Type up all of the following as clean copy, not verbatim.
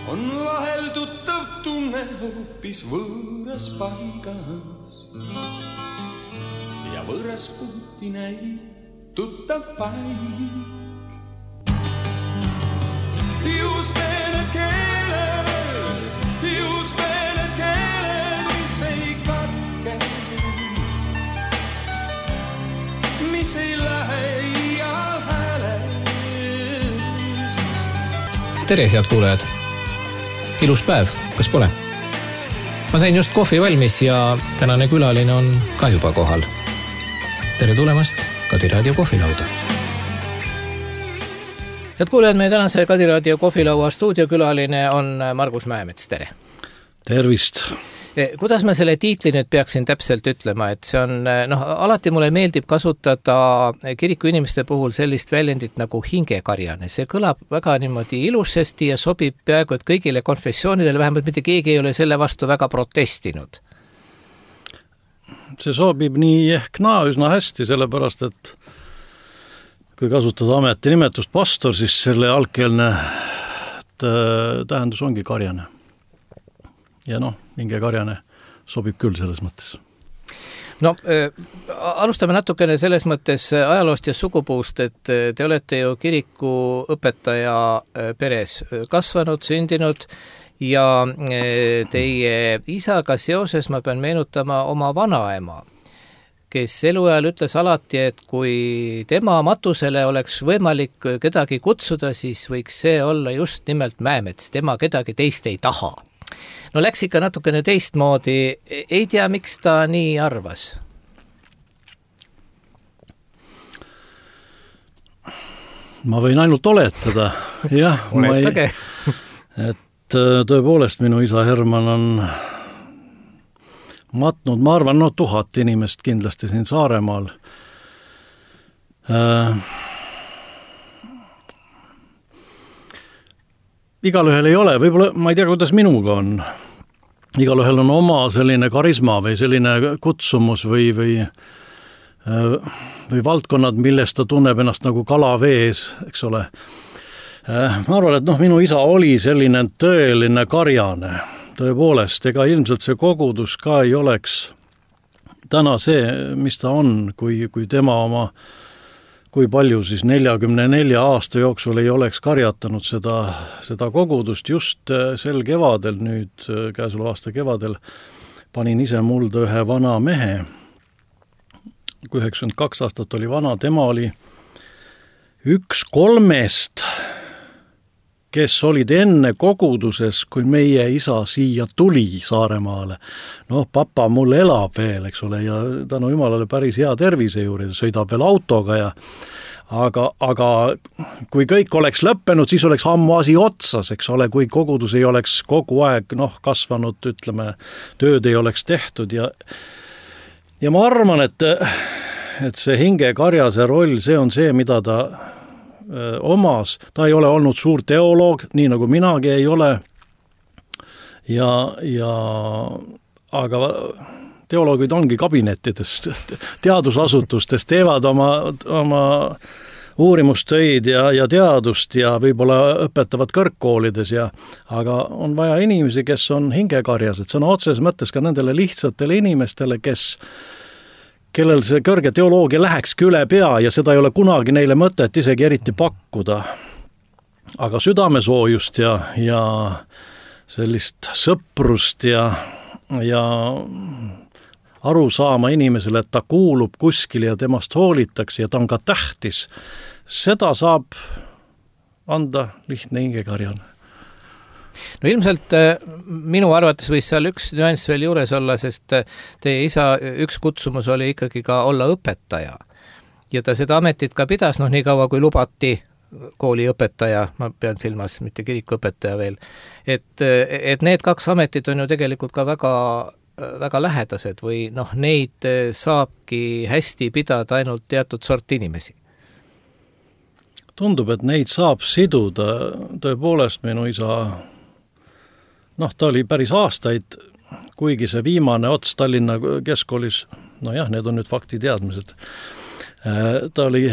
on vahel tuttav tunne hoopis võõras paigas ja võõras puuti näib tuttav paik. Just need keeled, mis ei katke, mis ei lähe iial häälest. Tere, head kuulajad! Ilus päev, kas pole? Ma sain just kohvi valmis ja tänane külaline on ka juba kohal. Tere tulemast Kadi Raadio kohvilauda. Head kuulajad, meie tänase Kadi Raadio kohvilaua stuudiokülaline on Margus Mäemets. Tere! Tervist! Kuidas ma selle tiitli nüüd peaksin täpselt ütlema, et see on, alati mulle meeldib kasutada kiriku inimeste puhul sellist väljendit nagu hingekarjane. See kõlab väga niimoodi ilusasti ja sobib peaaegu et kõigile konfessioonidele, vähemalt mitte keegi ei ole selle vastu väga protestinud. See sobib nii ehk naa üsna hästi, sellepärast, et kui kasutada ametinimetust pastor, siis selle algkeelne tähendus ongi karjane. Ja hingekarjane sobib küll selles mõttes. Alustame natukene selles mõttes ajaloost ja sugupuust, et te olete ju kiriku õpetaja peres kasvanud, sündinud ja teie isaga seoses ma pean meenutama oma vanaema, kes eluajal ütles alati, et kui tema matusele oleks võimalik kedagi kutsuda, siis võiks see olla just nimelt Mäemets, tema kedagi teist ei taha. Läks ikka natukene teistmoodi, ei tea, miks ta nii arvas? Ma võin ainult oletada. Jah, Oletage. Et tõepoolest minu isa Herman on matnud, ma arvan, 1000 inimest kindlasti siin Saaremaal. Igalühel ei ole, võib-olla ma ei tea, kuidas minuga on. Igalühel on oma selline karisma või selline kutsumus või valdkonnad, millest ta tunneb ennast nagu kala vees, eks ole. Ma arvan, et minu isa oli selline tõeline karjane. Tõepoolest, ega ilmselt see kogudus ka ei oleks täna see, mis ta on, kui tema oma, kui palju siis 44 aasta jooksul ei oleks karjatanud seda kogudust. Just sel kevadel, nüüd käesoleva aasta kevadel, panin ise mulda ühe vana mehe, kui 92 aastat oli vana, tema oli üks 3, kes olid enne koguduses, kui meie isa siia tuli Saaremaale. Papa mul elab veel, eks ole, ja tänu jumalale päris hea tervise juurde, sõidab veel autoga aga kui kõik oleks lõppenud, siis oleks ammu asi otsas, eks ole, kui kogudus ei oleks kogu aeg kasvanud, ütleme, tööd ei oleks tehtud ja ma arvan, et see hingekarjase roll, see on see, mida ta omas, ta ei ole olnud suur teoloog, nii nagu minagi ei ole, aga teoloogid ongi kabinettidest, teadusasutustes, teevad oma uurimustöid ja teadust ja võib-olla õpetavad kõrgkoolides, aga on vaja inimesi, kes on hingekarjased, sõna otseses mõttes ka nendele lihtsatele inimestele, kellel see kõrge teoloogia lähekski üle pea ja seda ei ole kunagi neile mõtet isegi eriti pakkuda. Aga südamesoojust ja sellist sõprust ja aru saama inimesele, et ta kuulub kuskil ja temast hoolitakse ja ta on ka tähtis, seda saab anda lihtne hingekarjane. Ilmselt minu arvates võis seal üks nüanss veel juures olla, sest teie isa üks kutsumus oli ikkagi ka olla õpetaja. Ja ta seda ametit ka pidas, nii kaua kui lubati kooliõpetaja, ma pean silmas, mitte kirikuõpetaja veel, et need 2 ametit on ju tegelikult ka väga, väga lähedased või neid saabki hästi pidada ainult teatud sort inimesi. Tundub, et neid saab siduda, tõepoolest minu isa ta oli päris aastaid, kuigi see viimane ots Tallinna keskkoolis, need on nüüd faktiteadmised, ta oli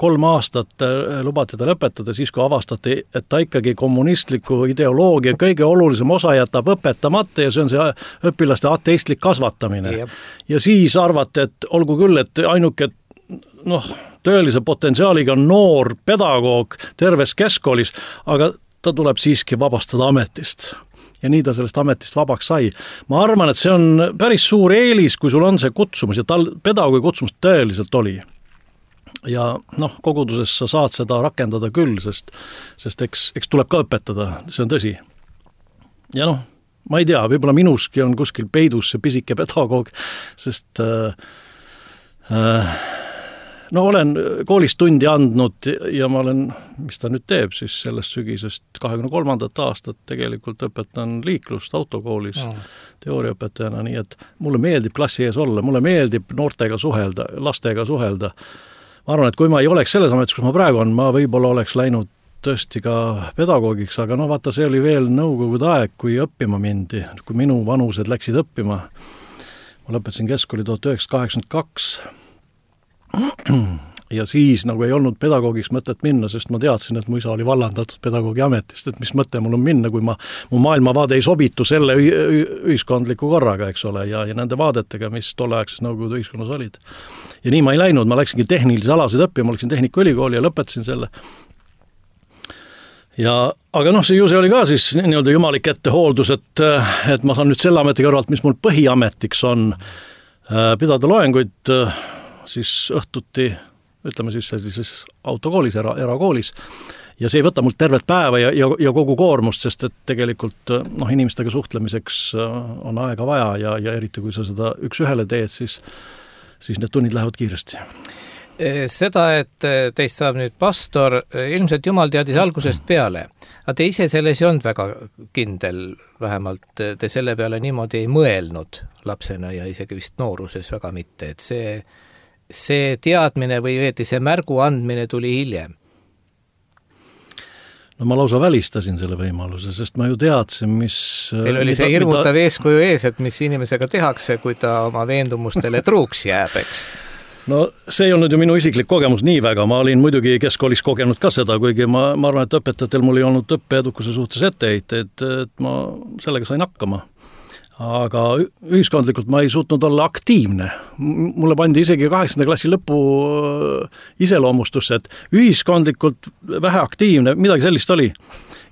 3 aastat lubati ta lõpetada, siis kui avastati, et ta ikkagi kommunistliku ideoloogia kõige olulisem osa jätab õpetamata ja see on see õpilaste ateistlik kasvatamine. Ja siis arvati, et olgu küll, et ainuke tõelise potentsiaaliga noor pedagoog terves keskkoolis, aga ta tuleb siiski vabastada ametist. Ja nii ta sellest ametist vabaks sai. Ma arvan, et see on päris suur eelis, kui sul on see kutsumus ja tal pedagoogi kutsumus tõeliselt oli. Ja koguduses sa saad seda rakendada küll, sest eks tuleb ka õpetada, see on tõsi. Ja ma ei tea, võib-olla minuski on kuskil peidus see pisike pedagoog, sest olen koolis tundi andnud ja ma olen, mis ta nüüd teeb siis sellest sügisest 23. aastat tegelikult õpetan liiklust autokoolis teooriaõpetajana, nii et mulle meeldib klassi ees olla, mulle meeldib noortega suhelda, lastega suhelda. Ma arvan, et kui ma ei oleks selles ametis, kus ma praegu on, ma võib-olla oleks läinud tõesti ka pedagoogiks, aga vaata, see oli veel nõukogude aeg, kui õppima mindi, kui minu vanused läksid õppima. Ma lõpetasin keskkooli 1982 ja siis ei olnud pedagoogiks mõtet minna, sest ma teadsin, et mu isa oli vallandatud pedagoogi ametist, et mis mõte mul on minna, kui mu maailmavaade ei sobitu selle ühiskondliku korraga, eks ole, ja nende vaadetega, mis tolleaegses nõukogude ühiskonnas olid. Ja nii ma ei läinud, ma läksingi tehnilise alasid õppima, ma läksin Tehnikaülikooli ja lõpetasin selle. Aga see oli ka siis nii-öelda jumalik ettehooldus, et ma saan nüüd selle ameti kõrvalt, mis mul põhiametiks on, pidada loenguid siis õhtuti, ütleme siis sellises autokoolis, erakoolis, ja see ei võta mult tervet päeva ja kogu koormust, sest et tegelikult inimestega suhtlemiseks on aega vaja ja eriti kui sa seda üks ühele teed, siis need tunnid lähevad kiiresti. Seda, et teist saab nüüd pastor, ilmselt Jumal teadis algusest peale, aga te ise selles ei olnud väga kindel, vähemalt te selle peale niimoodi ei mõelnud lapsena ja isegi vist nooruses väga mitte, et see teadmine või see märgu andmine tuli hiljem? Ma lausa välistasin selle võimaluse, sest ma ju teadsin, mis... Teil oli see hirmutav eeskuju ees, et mis inimesega tehakse, kui ta oma veendumustele truuks jääb, eks? See ei olnud ju minu isiklik kogemus nii väga, ma olin muidugi keskkoolis kogenud ka seda, kuigi ma arvan, et õpetajatel mul ei olnud õppeedukuse suhtes etteheiteid, et ma sellega sain hakkama. Aga ühiskondlikult ma ei suutnud olla aktiivne. Mulle pandi isegi 8. klassi lõpu iseloomustusse, et ühiskondlikult vähe aktiivne, midagi sellist oli.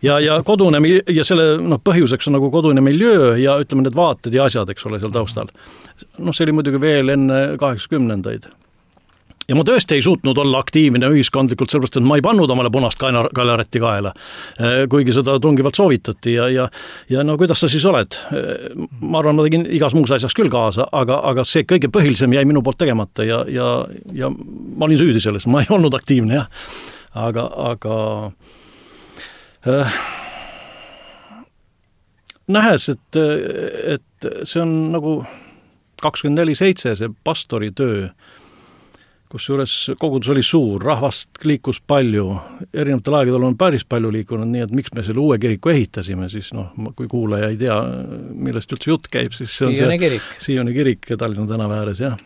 Ja kodune, ja selle põhjuseks on kodune miljöö ja ütleme need vaated ja asjad, eks ole, seal taustal. See oli muidugi veel enne 80-ndaid. Ja ma tõesti ei suutnud olla aktiivne ühiskondlikult, sellepärast, et ma ei pannud omale punast kaelaretti kaela, kuigi seda tungivalt soovitati ja kuidas sa siis oled? Ma arvan, ma tegin igas muus asjas küll kaasa, aga see kõige põhilisem jäi minu poolt tegemata ja ma olin süüdi selles, ma ei olnud aktiivne, jah. Aga nähes, et see on 24/7 see pastori töö, kusjuures kogudus oli suur, rahvast liikus palju, erinevatel aegadel on päris palju liikunud, nii et miks me selle uue kiriku ehitasime, siis kui kuulaja ei tea, millest üldse jutt käib, siis see on Siioni kirik Tallinna tänava ääres, jah.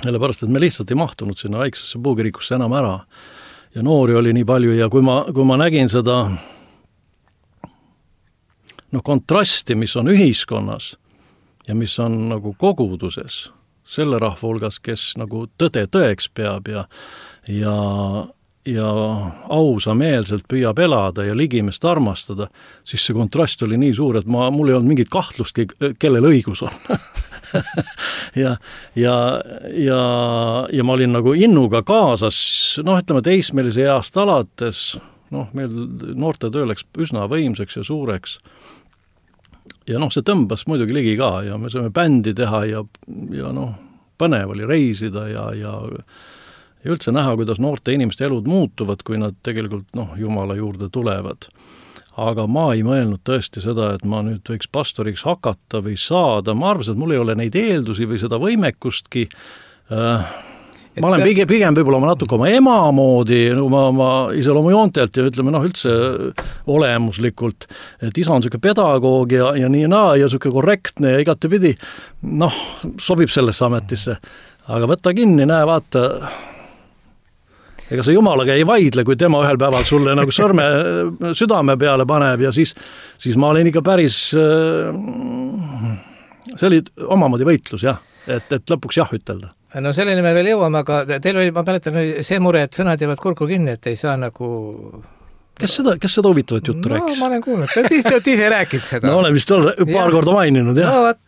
Sellepärast, et me lihtsalt ei mahtunud sinna väiksesse puukirikusse enam ära ja noori oli nii palju ja kui ma nägin seda kontrasti, mis on ühiskonnas ja mis on koguduses, selle rahva hulgas, kes tõde tõeks peab ja ausameelselt püüab elada ja ligimest armastada, siis see kontrast oli nii suur, et mul ei olnud mingit kahtlustki, kellel õigus on. ja ma olin innuga kaasas, ütleme teismelise east alates, meil noorte töö läks üsna võimseks ja suureks. Ja see tõmbas muidugi ligi ka ja me saime bändi teha ja põnev oli reisida ja üldse näha, kuidas noorte inimeste elud muutuvad, kui nad tegelikult Jumala juurde tulevad. Aga ma ei mõelnud tõesti seda, et ma nüüd võiks pastoriks hakata või saada. Ma arvasin, et mul ei ole neid eeldusi või seda võimekustki. Ma olen pigem võib-olla natuke oma ema moodi, oma iseloomujoontelt ja ütleme üldse olemuslikult, et isa on selline pedagoog ja nii ja selline korrektne ja igatepidi, sobib sellesse ametisse. Aga võtta kinni, näe, vaata. ega see jumalaga ei vaidle, kui tema ühel päeval sulle nagu sõrme südame peale paneb ja siis ma olin ikka päris, see oli omamoodi võitlus jah, et lõpuks jah ütelda. No selleni me veel jõuame, aga teil oli, ma mäletan, see mure, et sõnad jäävad kurku kinni, et ei saa nagu... Kes seda huvitavat juttu rääkis? No ma olen kuulnud, te olete ise rääkinud seda. No olen vist paar korda maininud, jah. No võt.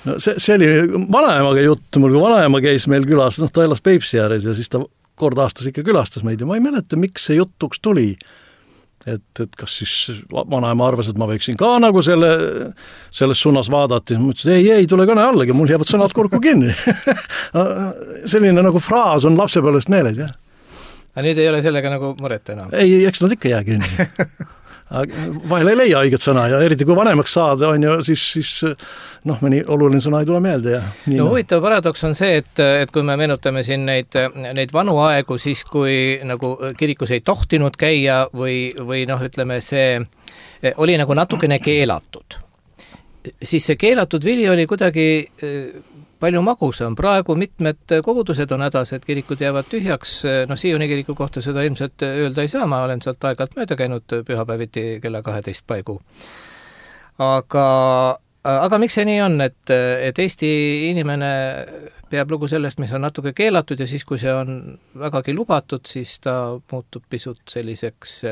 No see oli vanaemaga jutt, mul kui vanaema käis meil külas, ta elas Peipsi ääres ja siis ta kord aastas ikka külastas meid ja ma ei mäleta, miks see jutuks tuli. Et kas siis vanaema arvas, et ma võiksin ka nagu selles suunas vaadata ja ma ütlesin, ei, tule kõne allagi, mul jäävad sõnad kurku kinni. Selline nagu fraas on lapsepõlvest meeles, jah. Aga nüüd ei ole sellega nagu muret enam? Ei, eks nad ikka jää kinni. Vahel ei leia õiget sõna ja eriti kui vanemaks saada on ju, siis mõni oluline sõna ei tule meelde. Ja no huvitav paradoks on see, et kui me meenutame siin neid vanu aegu, siis kui nagu kirikus ei tohtinud käia või ütleme, see oli nagu natukene keelatud. Siis see keelatud vili oli kuidagi palju magusam. Praegu mitmed kogudused on hädas, et kirikud jäävad tühjaks. Sioni kiriku kohta seda ilmselt öelda ei saa, ma olen sealt aeg-ajalt mööda käinud pühapäeviti kella 12 paigu. Aga miks see nii on, et Eesti inimene peab lugu sellest, mis on natuke keelatud ja siis, kui see on vägagi lubatud, siis ta muutub pisut selliseks,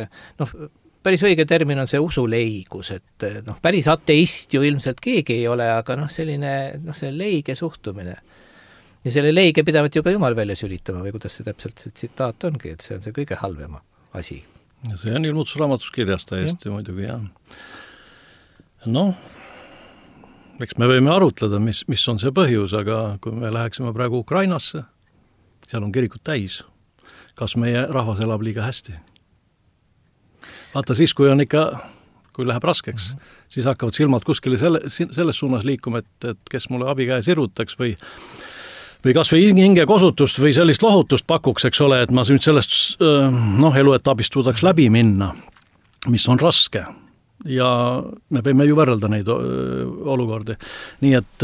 päris õige termin on see usuleigus, et päris ateist ju ilmselt keegi ei ole, aga selline see leige suhtumine. Ja selle leige pidavat ju ka Jumal välja sülitama või kuidas see täpselt see tsitaat ongi, et see on see kõige halvema asi. Ja see on ilmutusraamatus kirjas täiesti muidugi, jah. Eks me võime arutleda, mis on see põhjus, aga kui me läheksime praegu Ukrainasse, seal on kirikud täis. Kas meie rahvas elab liiga hästi? Vaata siis, kui läheb raskeks, siis hakkavad silmad kuskile selles suunas liikuma, et kes mulle abikäe sirutaks või kas või hingekosutust või sellist lohutust pakuks, eks ole, et ma nüüd sellest eluetapist suudaks läbi minna, mis on raske. Ja me võime ju võrrelda neid olukordi. Nii et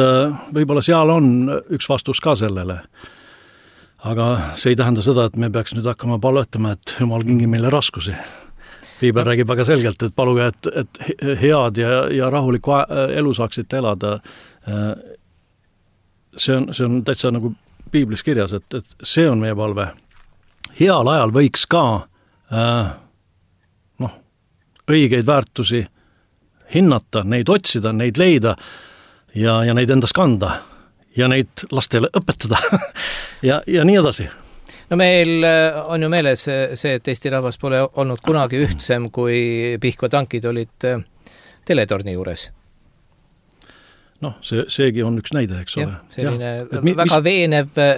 võib-olla seal on üks vastus ka sellele. Aga see ei tähenda seda, et me peaks nüüd hakkama palvetama, et Jumal kingi meile raskusi. Piibel räägib väga selgelt, et paluge, et head ja rahulikku elu saaksite elada. See on täitsa nagu piiblis kirjas, et see on meie palve. Heal ajal võiks ka õigeid väärtusi hinnata, neid otsida, neid leida ja neid endas kanda ja neid lastele õpetada ja nii edasi. No meil on ju meeles see, et Eesti rahvas pole olnud kunagi ühtsem, kui Pihkva tankid olid teletorni juures. Seegi on üks näide, eks ole. Selline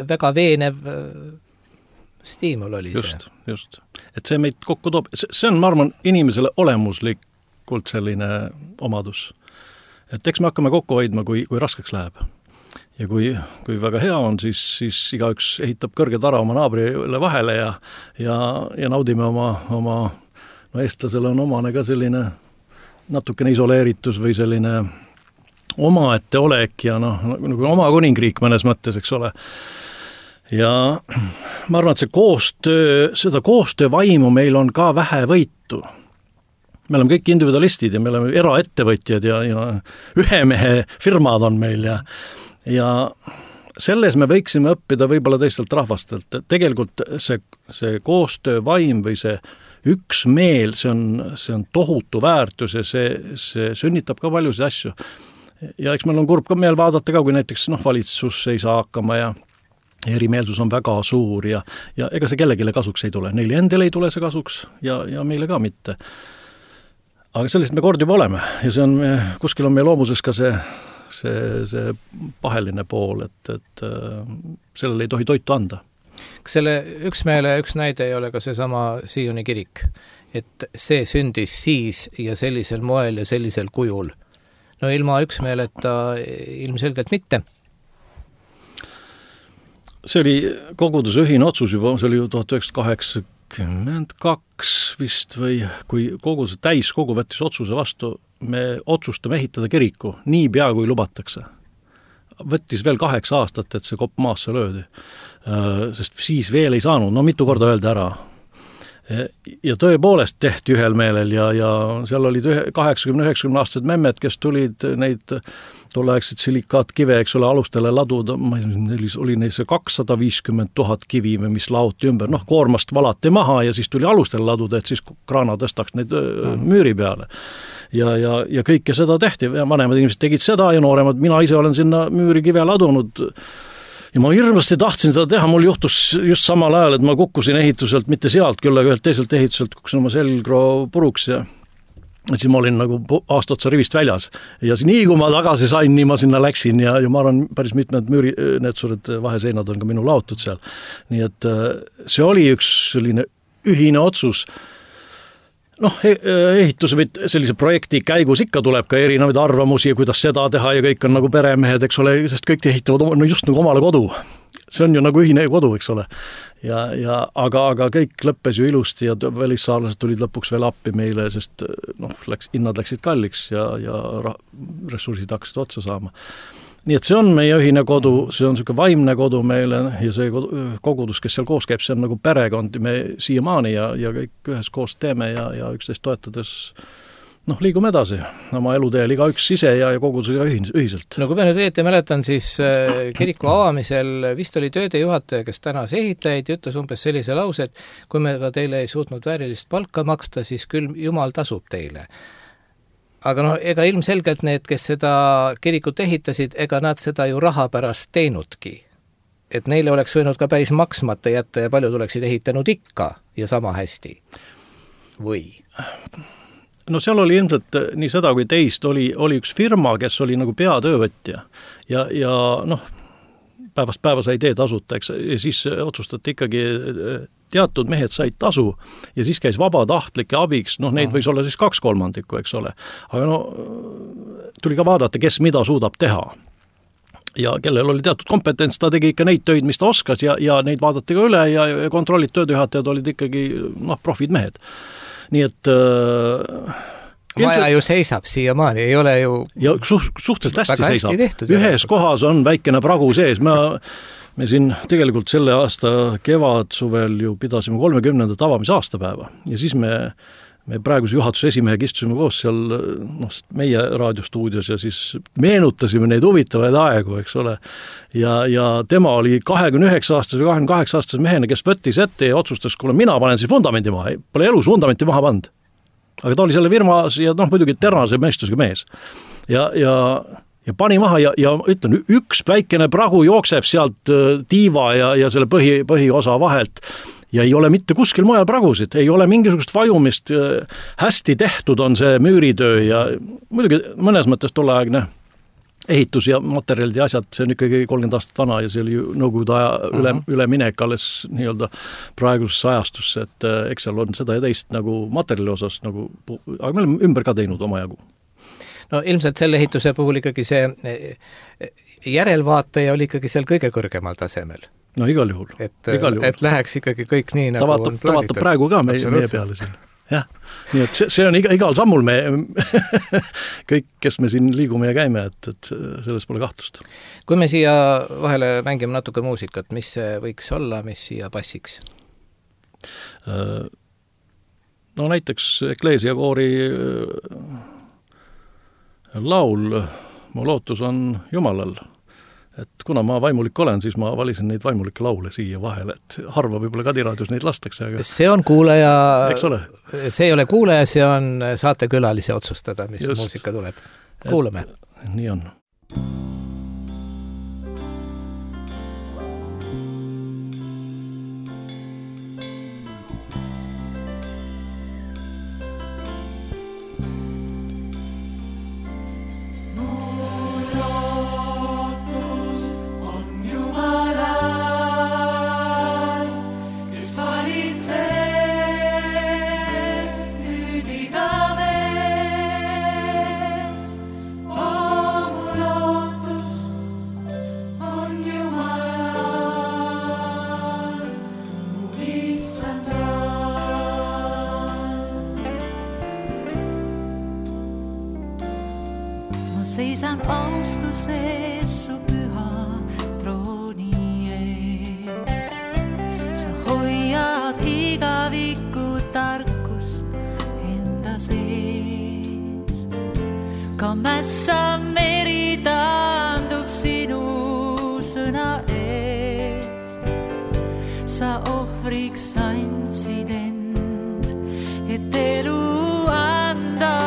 väga veenev stiimul oli just, see. Just. Et see meid kokku toob. See on, ma arvan, inimesele olemuslikult selline omadus. Et eks me hakkame kokku hoidma, kui raskeks läheb. Ja kui väga hea on, siis igaüks ehitab kõrge tara oma naabrile vahele ja naudime oma eestlasele on omane ka selline natukene isoleeritus või selline omaette olek ja nagu oma kuningriik mõnes mõttes, eks ole. Ja ma arvan, et seda koostöövaimu meil on ka vähe võitu. Me oleme kõik individualistid ja me oleme eraettevõtjad ja ühe mehe firmad on meil ja selles me võiksime õppida võib-olla teistelt rahvastelt. Tegelikult see koostöövaim või see üksmeel, see on tohutu väärtus ja see sünnitab ka paljusid asju. Ja eks meil on kurb ka meel vaadata ka, kui näiteks valitsus ei saa hakkama ja erimeelsus on väga suur ja ega see kellegile kasuks ei tule. Neile endile ei tule see kasuks ja meile ka mitte. Aga sellised me kord juba oleme ja kuskil on meie loomuses ka see paheline pool, et sellele ei tohi toitu anda. Kas selle üksmeele üks näide ei ole ka seesama Sioni kirik, et see sündis siis ja sellisel moel ja sellisel kujul? No ilma üksmeeleta ilmselgelt mitte. See oli koguduse ühine otsus juba, see oli 1982 vist või kui koguduse täiskogu võttis otsuse vastu, me otsustame ehitada kiriku nii pea kui lubatakse. võttis veel 8 aastat, et see kopp maasse löödi. Sest siis veel ei saanud, no mitu korda öelda ära. Ja tõepoolest tehti ühel meelel ja seal olid 80-90 aastased memmed, kes tulid neid tolleaegseid silikaatkivee, eks ole, alustele laduda, oli neil see 250 000 kivi, mis laoti ümber, koormast valati maha ja siis tuli alustele laduda, et siis kraana tõstaks neid müüri peale. Ja kõike seda tehti, vanemad inimesed tegid seda ja nooremad, mina ise olen sinna müüri kive ladunud ja ma hirmasti tahtsin seda teha, mul juhtus just samal ajal, et ma kukkusin ehituselt, mitte sealt küll, aga ühelt teiselt ehituselt kukkusin oma selgro puruks ja siis ma olin nagu aasta otsa rivist väljas ja nii kui ma tagasi sain, nii ma sinna läksin ja ma arvan, päris mitmed need suured vaheseinad on ka minu laotud seal. Nii et see oli üks selline ühine otsus. Ehituse või sellise projekti käigus ikka tuleb ka erinevaid arvamusi, kuidas seda teha ja kõik on nagu peremehed, eks ole, sest kõik ehitavad just nagu omale kodu. See on ju nagu ühine kodu, eks ole. Aga kõik lõppes ju ilusti ja välissaarlased tulid lõpuks veel appi meile, sest hinnad läksid kalliks ja ressursid hakkasid otsa saama. Nii et see on meie ühine kodu, see on selline vaimne kodu meile ja see kogudus, kes seal koos käib, see on nagu perekond, me siiamaani ja kõik ühes koos teeme ja üksteist toetades liigume edasi oma eluteel igaüks ise ja kogudusega ühiselt. No kui ma nüüd õieti mäletan, siis kiriku avamisel vist oli töödejuhataja, kes tänas ehitajaid ja ütles umbes sellise lause, et kui me ka teile ei suutnud väärilist palka maksta, siis küll Jumal tasub teile. Aga ega ilmselgelt need, kes seda kirikut ehitasid, ega nad seda ju raha pärast teinudki. Et neile oleks võinud ka päris maksmata jätta ja paljud oleksid ehitanud ikka ja sama hästi. Või? No seal oli ilmselt nii seda kui teist, oli üks firma, kes oli nagu peatöövõtja ja päevast päeva sai tee tasuta, eks, ja siis otsustati ikkagi, teatud mehed said tasu ja siis käis vabatahtlike abiks, neid võis olla siis 2/3, eks ole. Aga tuli ka vaadata, kes mida suudab teha. Ja kellel oli teatud kompetents, ta tegi ikka neid töid, mis ta oskas ja neid vaadati ka üle ja kontrollid töödejuhatajad olid ikkagi profid mehed. Nii et maja ju seisab siiamaani, ei ole ju ja suhteliselt hästi seisab. Tehtud, ühes kohas on väikene pragu sees. Me siin tegelikult selle aasta kevadsuvel ju pidasime 30. avamise aastapäeva ja siis me praeguse juhatuse esimehega istusime koos seal meie raadiostuudios ja siis meenutasime neid huvitavaid aegu, eks ole. Ja tema oli 29-aastase või 28-aastase mehena, kes võttis ette ja otsustas, kuule, mina panen siis vundamenti maha. Pole elus vundamenti maha pand. Aga ta oli selle firmas ja muidugi terase meestusega mees. Ja pani maha ja ütlen, üks väikene pragu jookseb sealt tiiva ja selle põhiosa vahelt ja ei ole mitte kuskil mujal pragusid, ei ole mingisugust vajumist, hästi tehtud on see müüritöö ja muidugi mõnes mõttes tolleaegne ehitus ja materjalid ja asjad, see on ikkagi 30 aastat vana ja see oli nõukogude aja üleminek alles nii-öelda praegusesse ajastusse, et eks seal on seda ja teist nagu materjali osas, aga me oleme ümber ka teinud oma jagu. No ilmselt selle ehituse puhul ikkagi see järelvaataja oli ikkagi seal kõige kõrgemal tasemel. No igal juhul. Et läheks ikkagi kõik nii nagu on plaanitud. Ta vaatab praegu ka meie peale siin. Jah, nii et see on igal sammul me kõik, kes me siin liigume ja käime, et selles pole kahtlust. Kui me siia vahele mängime natuke muusikat, mis see võiks olla, mis siia passiks? No näiteks Ekleesia koori laul Mu lootus on Jumalal. Et kuna ma vaimulik olen, siis ma valisin neid vaimulikke laule siia vahele, et harva võib-olla Kadiraadios neid lastakse. Aga see on kuulaja, see ei ole kuulaja, see on saatekülalise otsustada, mis just muusika tuleb. Kuulame. Nii on. Seisan austuses su püha sa hoiad igaviku tarkust enda sees. Ka mässa meri taandub sinu sõna ees. Sa ohvriks andsid end, et elu anda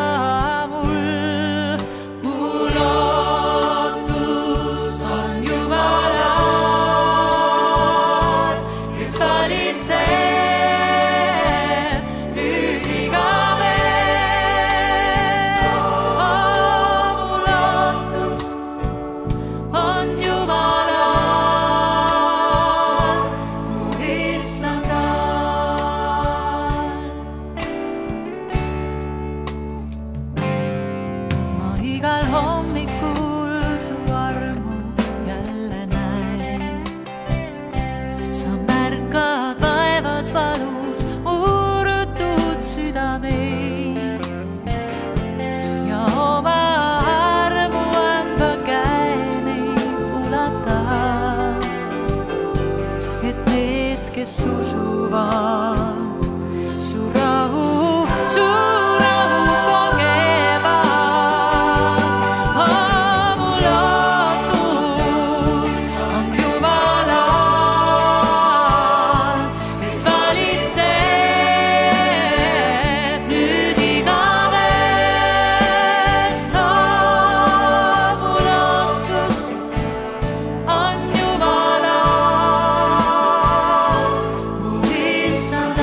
mul. Mu lootus on Jumalal, kes valitseb nüüd igavest. Mu lootus on Jumalal, mu issandal. Ma igal hommikul su armu jälle näen. Sa märkad vaevas valus urutud südameid ja oma armu anda käe neid ulatad, et need, kes usuvad, su rahu kogevad. Mu lootus on Jumalal, kes valitseb nüüd igavest. Mu lootus on Jumalal, mu issandal.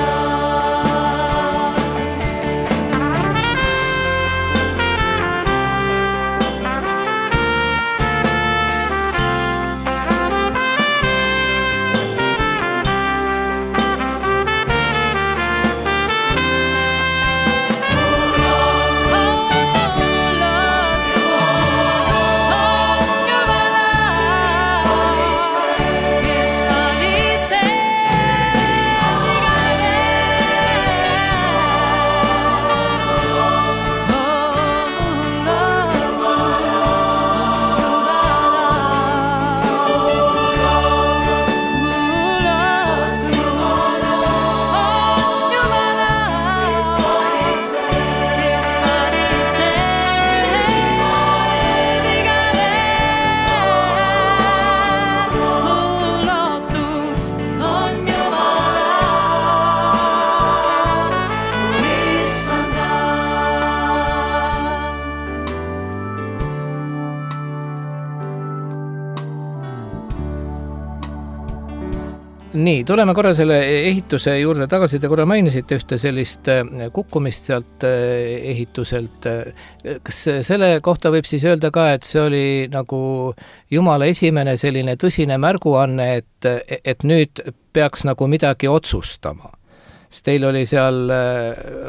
Nii, tuleme korra selle ehituse juurde tagasi. Te korra mainisite ühte sellist kukkumist sealt ehituselt. Kas selle kohta võib siis öelda ka, et see oli nagu Jumala esimene selline tõsine märguanne, et nüüd peaks nagu midagi otsustama? Sest teil oli seal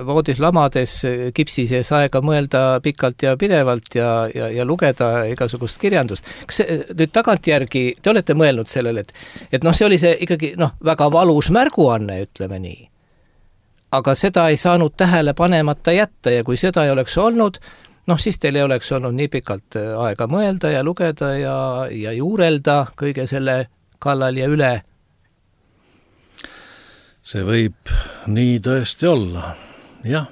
voodis lamades kipsi sees aega mõelda pikalt ja pidevalt ja lugeda igasugust kirjandust. Kas nüüd tagantjärgi te olete mõelnud sellele, et noh, see oli see ikkagi väga valus märguanne, ütleme nii. Aga seda ei saanud tähele panemata jätta ja kui seda ei oleks olnud, siis teil ei oleks olnud nii pikalt aega mõelda ja lugeda ja juurelda kõige selle kallal ja üle. See võib nii tõesti olla, jah.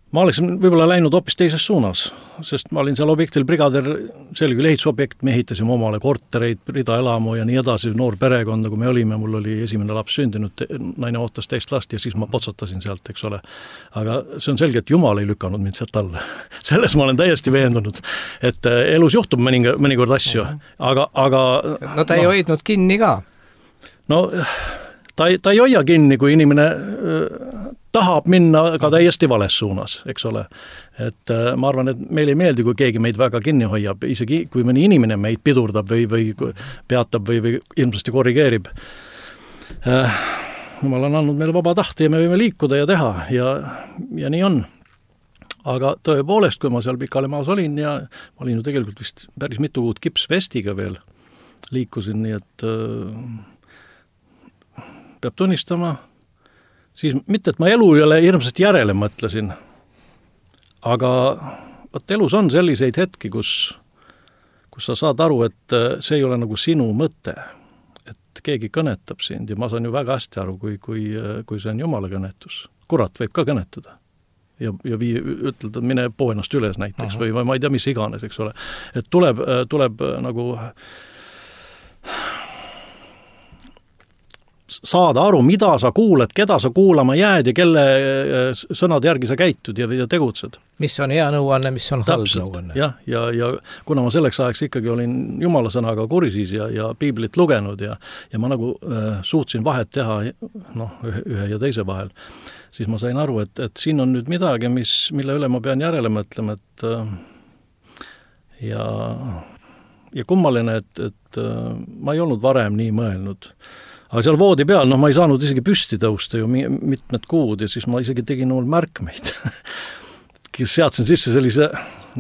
Ma oleksin võib-olla läinud hoopis teises suunas, sest ma olin seal objektil brigader, see oli küll ehitusobjekt, me ehitasime omale kortereid, ridaelamu ja nii edasi, noor perekonda, kui me olime, mul oli esimene laps sündinud, naine ootas teist last ja siis ma potsatasin sealt, eks ole. Aga see on selge, et Jumal ei lükanud mind sealt alla. Selles ma olen täiesti veendunud, et elus juhtub mõnikord asju, aga no ta ei hoidnud kinni ka. No ta ei hoia kinni, kui inimene tahab minna ka täiesti vales suunas, eks ole. Et ma arvan, et meil ei meeldi, kui keegi meid väga kinni hoiab, isegi kui mõni inimene meid pidurdab või peatab või ilmselt korrigeerib. Jumal on andnud meile vaba tahte ja me võime liikuda ja teha ja nii on. Aga tõepoolest, kui ma seal Pikale-Maas olin ja ma olin ju tegelikult vist päris mitu kuud kipsvestiga veel liikusin, nii et peab tunnistama, siis mitte, et ma elu üle hirmsasti järele mõtlesin, aga võt elus on selliseid hetki, kus sa saad aru, et see ei ole nagu sinu mõte. Et keegi kõnetab sind ja ma saan ju väga hästi aru, kui see on Jumala kõnetus. Kurat võib ka kõnetada. Ja ütelda, mine poo ennast üles näiteks või ma ei tea, mis iganes, eks ole. Et tuleb nagu saada aru, mida sa kuuled, keda sa kuulama jääd ja kelle sõnade järgi sa käitud ja tegutsed. Mis on hea nõuanne, mis on halb nõuanne. Jah, ja kuna ma selleks ajaks ikkagi olin Jumala sõnaga kursis ja piiblit lugenud ja ma nagu suutsin vahet teha ühe ja teise vahel, siis ma sain aru, et siin on nüüd midagi, mille üle ma pean järele mõtlema, et ja kummaline, et ma ei olnud varem nii mõelnud. Aga seal voodi peal, ma ei saanud isegi püsti tõusta ju mitmed kuud ja siis ma isegi tegin märkmeid. Seadsin sisse sellise,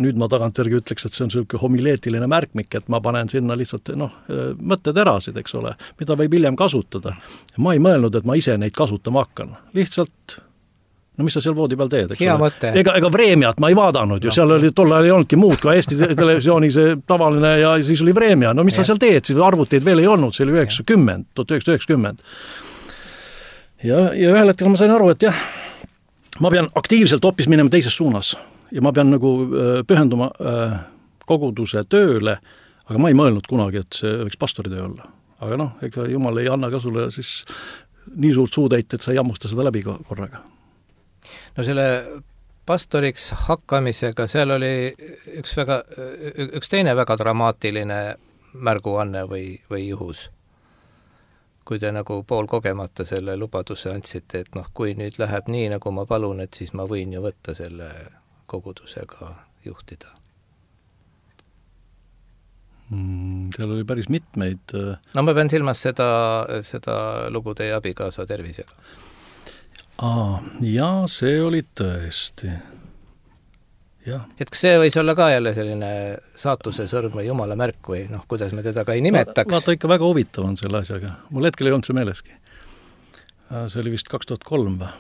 nüüd ma tagantjärgi ütleks, et see on selline homileetiline märkmik, et ma panen sinna lihtsalt mõtteterasid, eks ole, mida võib hiljem kasutada. Ma ei mõelnud, et ma ise neid kasutama hakkan. Lihtsalt, mis sa seal voodi peal teed, eks hea ole? Mõte. Ega Vremjat ma ei vaadanud ju, seal oli tol ajal ei olnudki muud kui Eesti televisiooni see tavaline ja siis oli Vremja. No mis sa seal teed, siis arvuteid veel ei olnud, see oli 1990. Ja ühel hetkel ma sain aru, et jah, ma pean aktiivselt hoopis minema teises suunas ja ma pean nagu pühenduma koguduse tööle, aga ma ei mõelnud kunagi, et see võiks pastori töö olla. Aga ega Jumal ei anna ka sulle siis nii suurt suutäit, et sa ei jammusta seda läbi korraga. No selle pastoriks hakkamisega, seal oli üks teine väga dramaatiline märguanne või juhus. Kui te nagu poolkogemata selle lubaduse andsite, et kui nüüd läheb nii, nagu ma palun, et siis ma võin ju võtta selle kogudusega juhtida. Seal oli päris mitmeid. No ma pean silmas seda lugu teie abikaasa tervisega. Ja see oli tõesti. Ja. Et kas see võis olla ka jälle selline saatuse sõrm või Jumala märk või kuidas me teda ka ei nimetaks? Vaata ikka väga huvitav on selle asjaga. Mul hetkel ei olnud see meeleski. See oli vist 2003 või?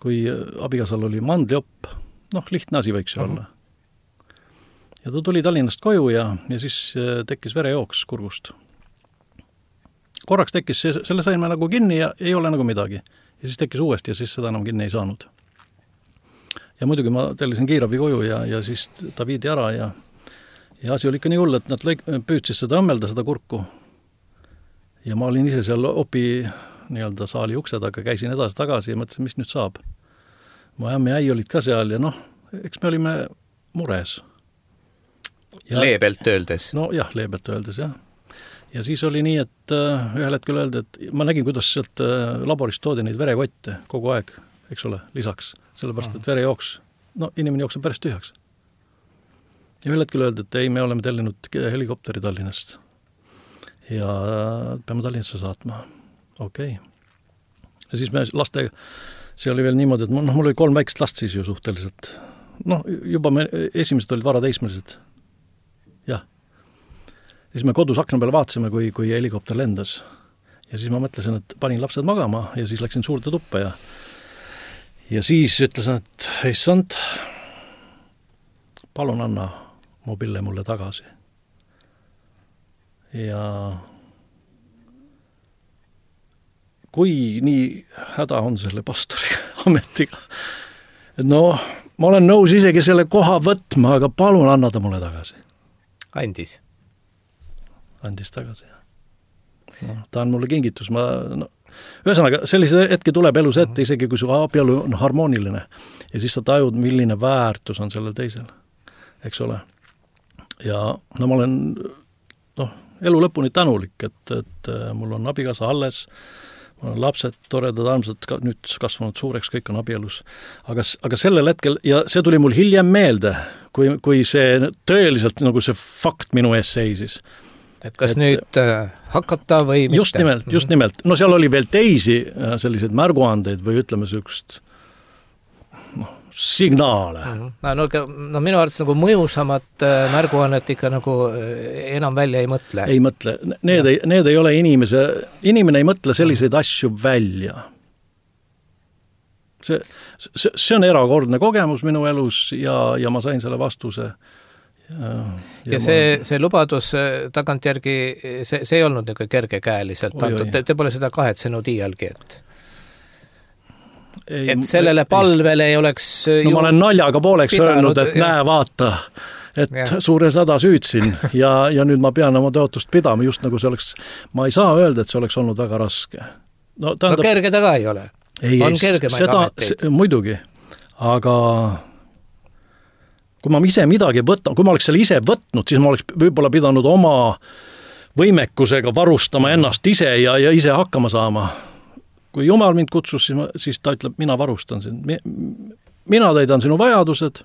Kui abikaasal oli mandliopp, lihtne asi võiks olla. Ja ta tuli Tallinnast koju ja siis tekkis verejooks kurgust. Korraks tekkis, selle sain me nagu kinni ja ei ole nagu midagi. Ja siis tekkis uuesti ja siis seda enam kinni ei saanud. Ja muidugi ma tellisin kiirabi koju ja siis ta viidi ära ja asi oli ikka nii hull, et nad püüdsid seda õmmelda, seda kurku. Ja ma olin ise seal opi saali ukse taga, käisin edasi tagasi ja mõtlesin, mis nüüd saab. Mu ämm ja äi olid ka seal ja eks me olime mures. Leebelt öeldes. Jah, leebelt öeldes, jah. Ja siis oli nii, et ühel hetkel öeldi, et ma nägin, kuidas sealt laborist toodi neid verekotte kogu aeg, eks ole, lisaks. Sellepärast, et verejooks, inimene jookseb päris tühjaks. Ja ühel hetkel öeldi, et ei, me oleme tellinud helikopteri Tallinnast. Ja peame Tallinnasse saatma. Okei. Ja siis me lastega, see oli veel niimoodi, et mul oli 3 väikest last siis ju suhteliselt. Juba me esimesed olid varateismelised. Jah. Ja siis me kodus akna peale vaatasime, kui helikopter lendas. Ja siis ma mõtlesin, et panin lapsed magama ja siis läksin suurde tuppa ja siis ütlesin, et issand, palun anna mu pille mulle tagasi. Ja kui nii häda on selle pastori ametiga, et ma olen nõus isegi selle koha võtma, aga palun anna ta mulle tagasi. Andis tagasi, jah. Ta on mulle kingitus. Ühesõnaga, sellise hetki tuleb elus ette, isegi kui su abielu on harmooniline. Ja siis sa tajud, milline väärtus on sellel teisel. Eks ole. Ja ma olen elu lõpuni tänulik, et mul on abikaasa alles, mul on lapsed, toredad, armsad, nüüd kasvanud suureks, kõik on abielus. Aga sellel hetkel, ja see tuli mul hiljem meelde, kui see tõeliselt nagu see fakt minu ees seisis. Et kas nüüd hakata või mitte? Just nimelt. Seal oli veel teisi selliseid märguandeid või ütleme sellist signaale. Minu arvates nagu mõjusamat märguannet ikka nagu enam välja ei mõtle. Ei mõtle. Need ei ole inimene ei mõtle selliseid asju välja. See on erakordne kogemus minu elus ja ma sain selle vastuse Ja see lubadus tagantjärgi, see ei olnud niisugune kergekäeliselt antud, te pole seda kahetsenud iialgi, et sellele palvele ei oleks no ma olen naljaga pooleks öelnud, et näe, vaata, et suures hädas hüüdsin ja nüüd ma pean oma tõotust pidama, just nagu see oleks, ma ei saa öelda, et see oleks olnud väga raske. No kerge ta ka ei ole. On kergemaid ameteid. Muidugi, aga kui ma ise midagi võtan, kui ma oleks selle ise võtnud, siis ma oleks võib-olla pidanud oma võimekusega varustama ennast ise ja ise hakkama saama. Kui Jumal mind kutsus, siis ta ütleb, mina varustan sind. Mina täidan sinu vajadused.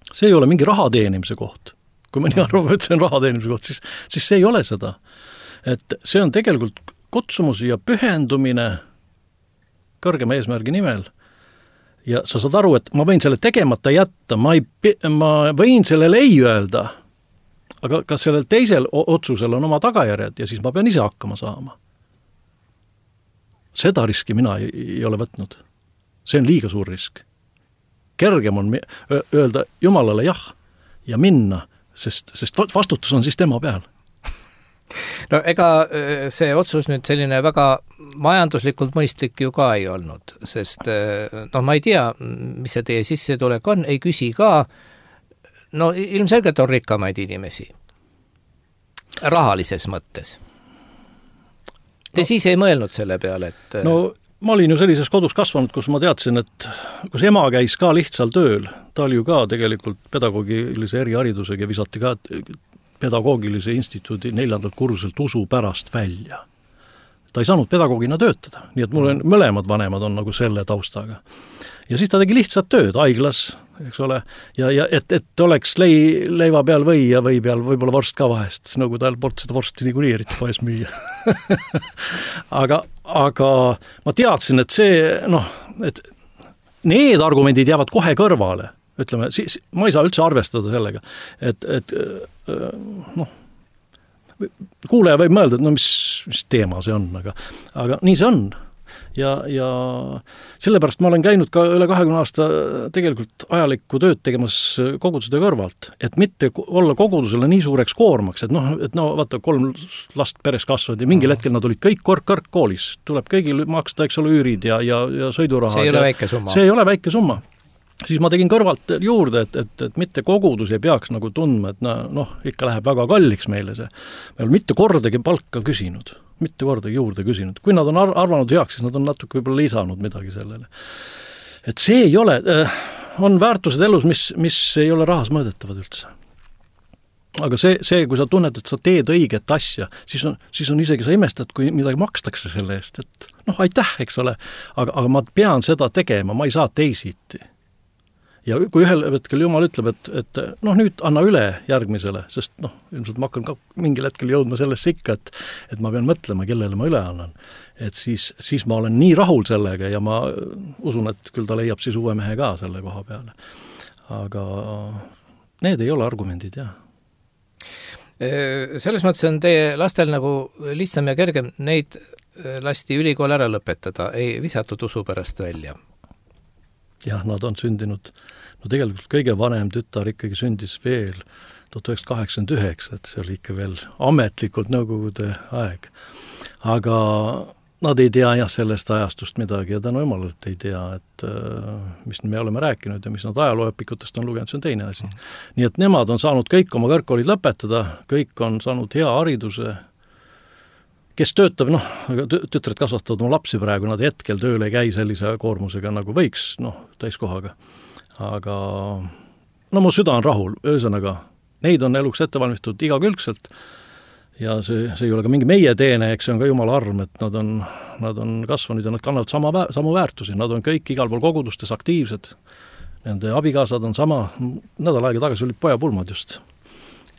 See ei ole mingi raha teenimise koht. Kui mõni arvab, et see on raha teenimise koht, siis see ei ole seda. Et see on tegelikult kutsumus ja pühendumine kõrgema eesmärgi nimel. Ja sa saad aru, et ma võin selle tegemata jätta, ma võin sellele ei öelda, aga ka sellel teisel otsusel on oma tagajärjed ja siis ma pean ise hakkama saama. Seda riski mina ei ole võtnud. See on liiga suur risk. Kergem on öelda Jumalale jah ja minna, sest vastutus on siis tema peal. No ega see otsus nüüd selline väga majanduslikult mõistlik ju ka ei olnud, sest ma ei tea, mis see teie sissetulek on, ei küsi ka, no ilmselgelt on rikkamaid inimesi, rahalises mõttes. Te siis ei mõelnud selle peale, et... No ma olin ju sellises kodus kasvanud, kus ma teadsin, et kus ema käis ka lihtsal tööl, ta oli ju ka tegelikult pedagoogilise eriharidusega ja visati ka pedagoogilise instituudi 4. kursuselt usu pärast välja. Ta ei saanud pedagoogina töötada, nii et mul on mõlemad vanemad on nagu selle taustaga. Ja siis ta tegi lihtsalt tööd haiglas, eks ole, ja et oleks leiva peal või ja või peal võib-olla vorst ka vahest, nagu tal poolt seda vorsti niikuinii eriti poes müüa. aga ma teadsin, et see, et need argumendid jäävad kohe kõrvale. Ütleme, ma ei saa üldse arvestada sellega, et kuulaja võib mõelda, et mis teema see on, aga nii see on. Ja sellepärast ma olen käinud ka üle 20 aasta tegelikult ajalikku tööd tegemas kogudustöö kõrvalt, et mitte olla kogudusele nii suureks koormaks, et vaata, 3 last peres kasvavad ja mingil hetkel nad olid kõik kõrgkoolis, tuleb kõigil maksta, eks ole, üürid ja sõidurahad. See ei ole väike summa. See ei ole väike summa. Siis ma tegin kõrvalt juurde, et mitte kogudus ei peaks nagu tundma, et ikka läheb väga kalliks meile see. Me olen mitte kordagi palka küsinud, mitte kordagi juurde küsinud. Kui nad on arvanud heaks, siis nad on natuke võib-olla lisanud midagi sellele. Et see ei ole, on väärtused elus, mis ei ole rahas mõõdetavad üldse. Aga see, kui sa tunned, et sa teed õiget asja, siis on isegi sa imestad, kui midagi makstakse selle eest, et aitäh, eks ole, aga ma pean seda tegema, ma ei saa teisiti. Ja kui ühel hetkel Jumal ütleb, et nüüd anna üle järgmisele, sest ilmselt ma hakkan ka mingil hetkel jõudma sellesse ikka, et ma pean mõtlema, kellele ma üle annan. Et siis ma olen nii rahul sellega ja ma usun, et küll ta leiab siis uue mehe ka selle koha peale. Aga need ei ole argumendid, jah. Selles mõttes on teie lastel nagu lihtsam ja kergem neid lasti ülikool ära lõpetada, ei visatud usu pärast välja. Jah, nad on sündinud, tegelikult kõige vanem tütar ikkagi sündis veel 1989, et see oli ikka veel ametlikult nõukogude aeg. Aga nad ei tea sellest ajastust midagi ja tänu Jumalalt ei tea, et mis me oleme rääkinud ja mis nad ajalooõpikutest on lugenud, see on teine asi. Nii et nemad on saanud kõik oma kõrgkoolid lõpetada, kõik on saanud hea hariduse, kes töötab, tütred kasvatavad oma lapsi praegu, nad hetkel tööle ei käi sellise koormusega nagu võiks, täiskohaga. Aga mu süda on rahul, ühesõnaga, neid on eluks ettevalmistatud igakülgselt ja see ei ole ka mingi meie teene, eks see on ka Jumala arm, et nad on kasvanud ja nad kannavad samu väärtusi, nad on kõik igal pool kogudustes aktiivsed, nende abikaasad on sama, nädal aega tagasi olid pojapulmad just.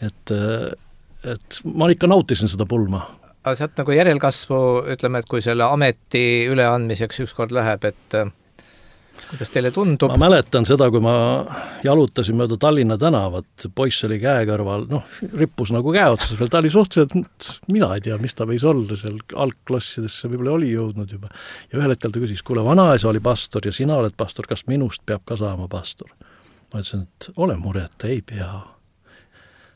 Et ma ikka nautisin seda pulma. Aga sealt nagu järelkasvu, ütleme, et kui selle ameti üleandmiseks ükskord läheb, et kuidas teile tundub? Ma mäletan seda, kui ma jalutasin mööda Tallinna tänavat, poiss oli käe kõrval, rippus nagu käe otsas veel, ta oli suhteliselt, mina ei tea, mis ta võis olla seal algklassidesse, võib-olla oli jõudnud juba. Ja ühel hetkel ta küsis, kuule, vanaisa oli pastor ja sina oled pastor, kas minust peab ka saama pastor? Ma ütlesin, et ole muret, ei pea.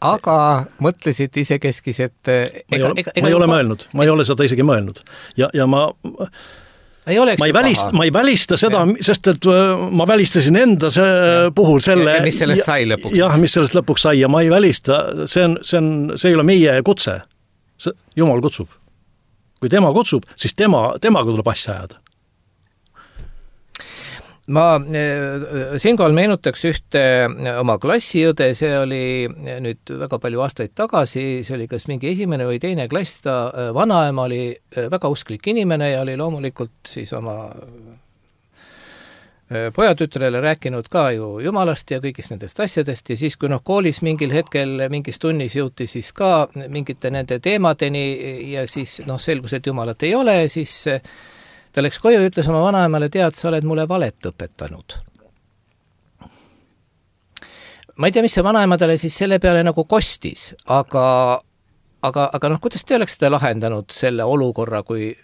aga mõtlesid isekeskis, et ma ei ole mõelnud, ma ei ole seda isegi mõelnud. Ja ma ei välista seda, sest et ma välistasin enda puhul selle... Ja mis sellest sai lõpuks? Jah, mis sellest lõpuks sai ja ma ei välista, see ei ole meie kutse. Jumal kutsub. Kui tema kutsub, siis temaga tuleb asja ajada. Ma siinkohal meenutaks ühte oma klassiõde, see oli nüüd väga palju aastaid tagasi, see oli kas mingi esimene või teine klass, ta vanaema oli väga usklik inimene ja oli loomulikult siis oma pojatütrele rääkinud ka ju jumalast ja kõigist nendest asjadest ja siis, kui koolis mingil hetkel mingis tunnis jõuti siis ka mingite nende teemadeni ja siis selgus, et jumalat ei ole, siis ta läks koju ja ütles oma vanaemale, tead, sa oled mulle valet õpetanud. Ma ei tea, mis see vanaema talle siis selle peale nagu kostis, aga kuidas te oleks seda lahendanud selle olukorra, kui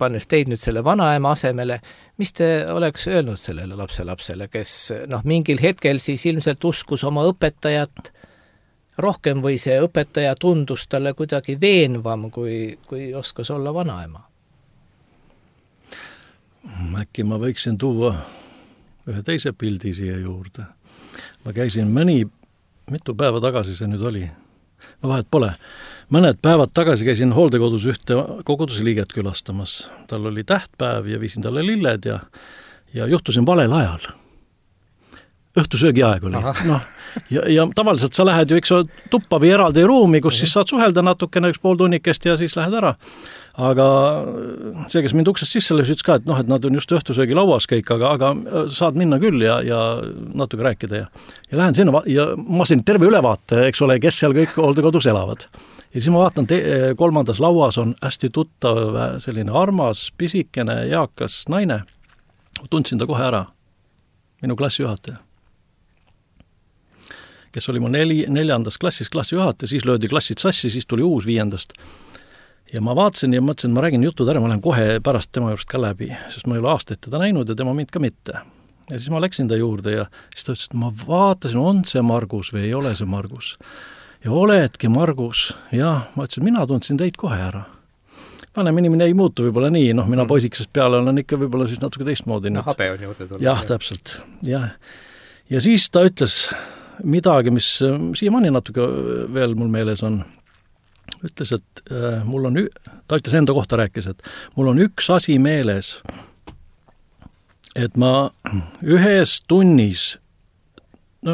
pannes teid nüüd selle vanaema asemele, mis te oleks öelnud sellele lapselapsele, kes mingil hetkel siis ilmselt uskus oma õpetajat rohkem või see õpetaja tundus talle kuidagi veenvam, kui oskas olla vanaema? Äkki ma võiksin tuua ühe teise pildi siia juurde. Ma käisin mitu päeva tagasi see nüüd oli. Vahet pole. Mõned päevad tagasi käisin hooldekodus ühte kogudusliiget külastamas. Tal oli tähtpäev ja viisin talle lilled ja juhtusin valel ajal. Õhtusöögi aeg oli. Ja tavaliselt sa lähed ju tuppa või eraldi ruumi, kus siis saad suhelda natukene 1,5 tunnikest ja siis lähed ära. Aga see, kes mind uksest sisse lõis, ütles ka, et nad on just õhtusöögi lauas kõik, aga saad minna küll ja natuke rääkida. Ja lähen sinna ja ma siin terve ülevaate, eks ole, kes seal kõik hooldekodus elavad. Ja siis ma vaatan, kolmandas lauas on hästi tuttav selline armas, pisikene, eakas naine. Tundsin ta kohe ära, minu klassijuhataja, kes oli mu 4. klassis klassijuhataja, siis löödi klassid sassi, siis tuli uus 5. Ja ma vaatasin ja mõtlesin, ma räägin jutud ära, ma lähen kohe pärast tema juurest ka läbi, sest ma ei ole aastaid teda näinud ja tema mind ka mitte. Ja siis ma läksin ta juurde ja siis ta ütles, et ma vaatasin, on see Margus või ei ole see Margus. Ja oledki Margus. Ja ma ütlesin, mina tundsin teid kohe ära. Vanem inimene ei muutu võib-olla nii, mina poisikesest peale olen ikka võib-olla siis natuke teistmoodi. Habe on juurde tulnud. Jah, täpselt. Ja siis ta ütles midagi, mis siiamaani natuke veel mul meeles on. Ütles, et ta ütles enda kohta rääkis, et mul on üks asi meeles, et ma ühes tunnis,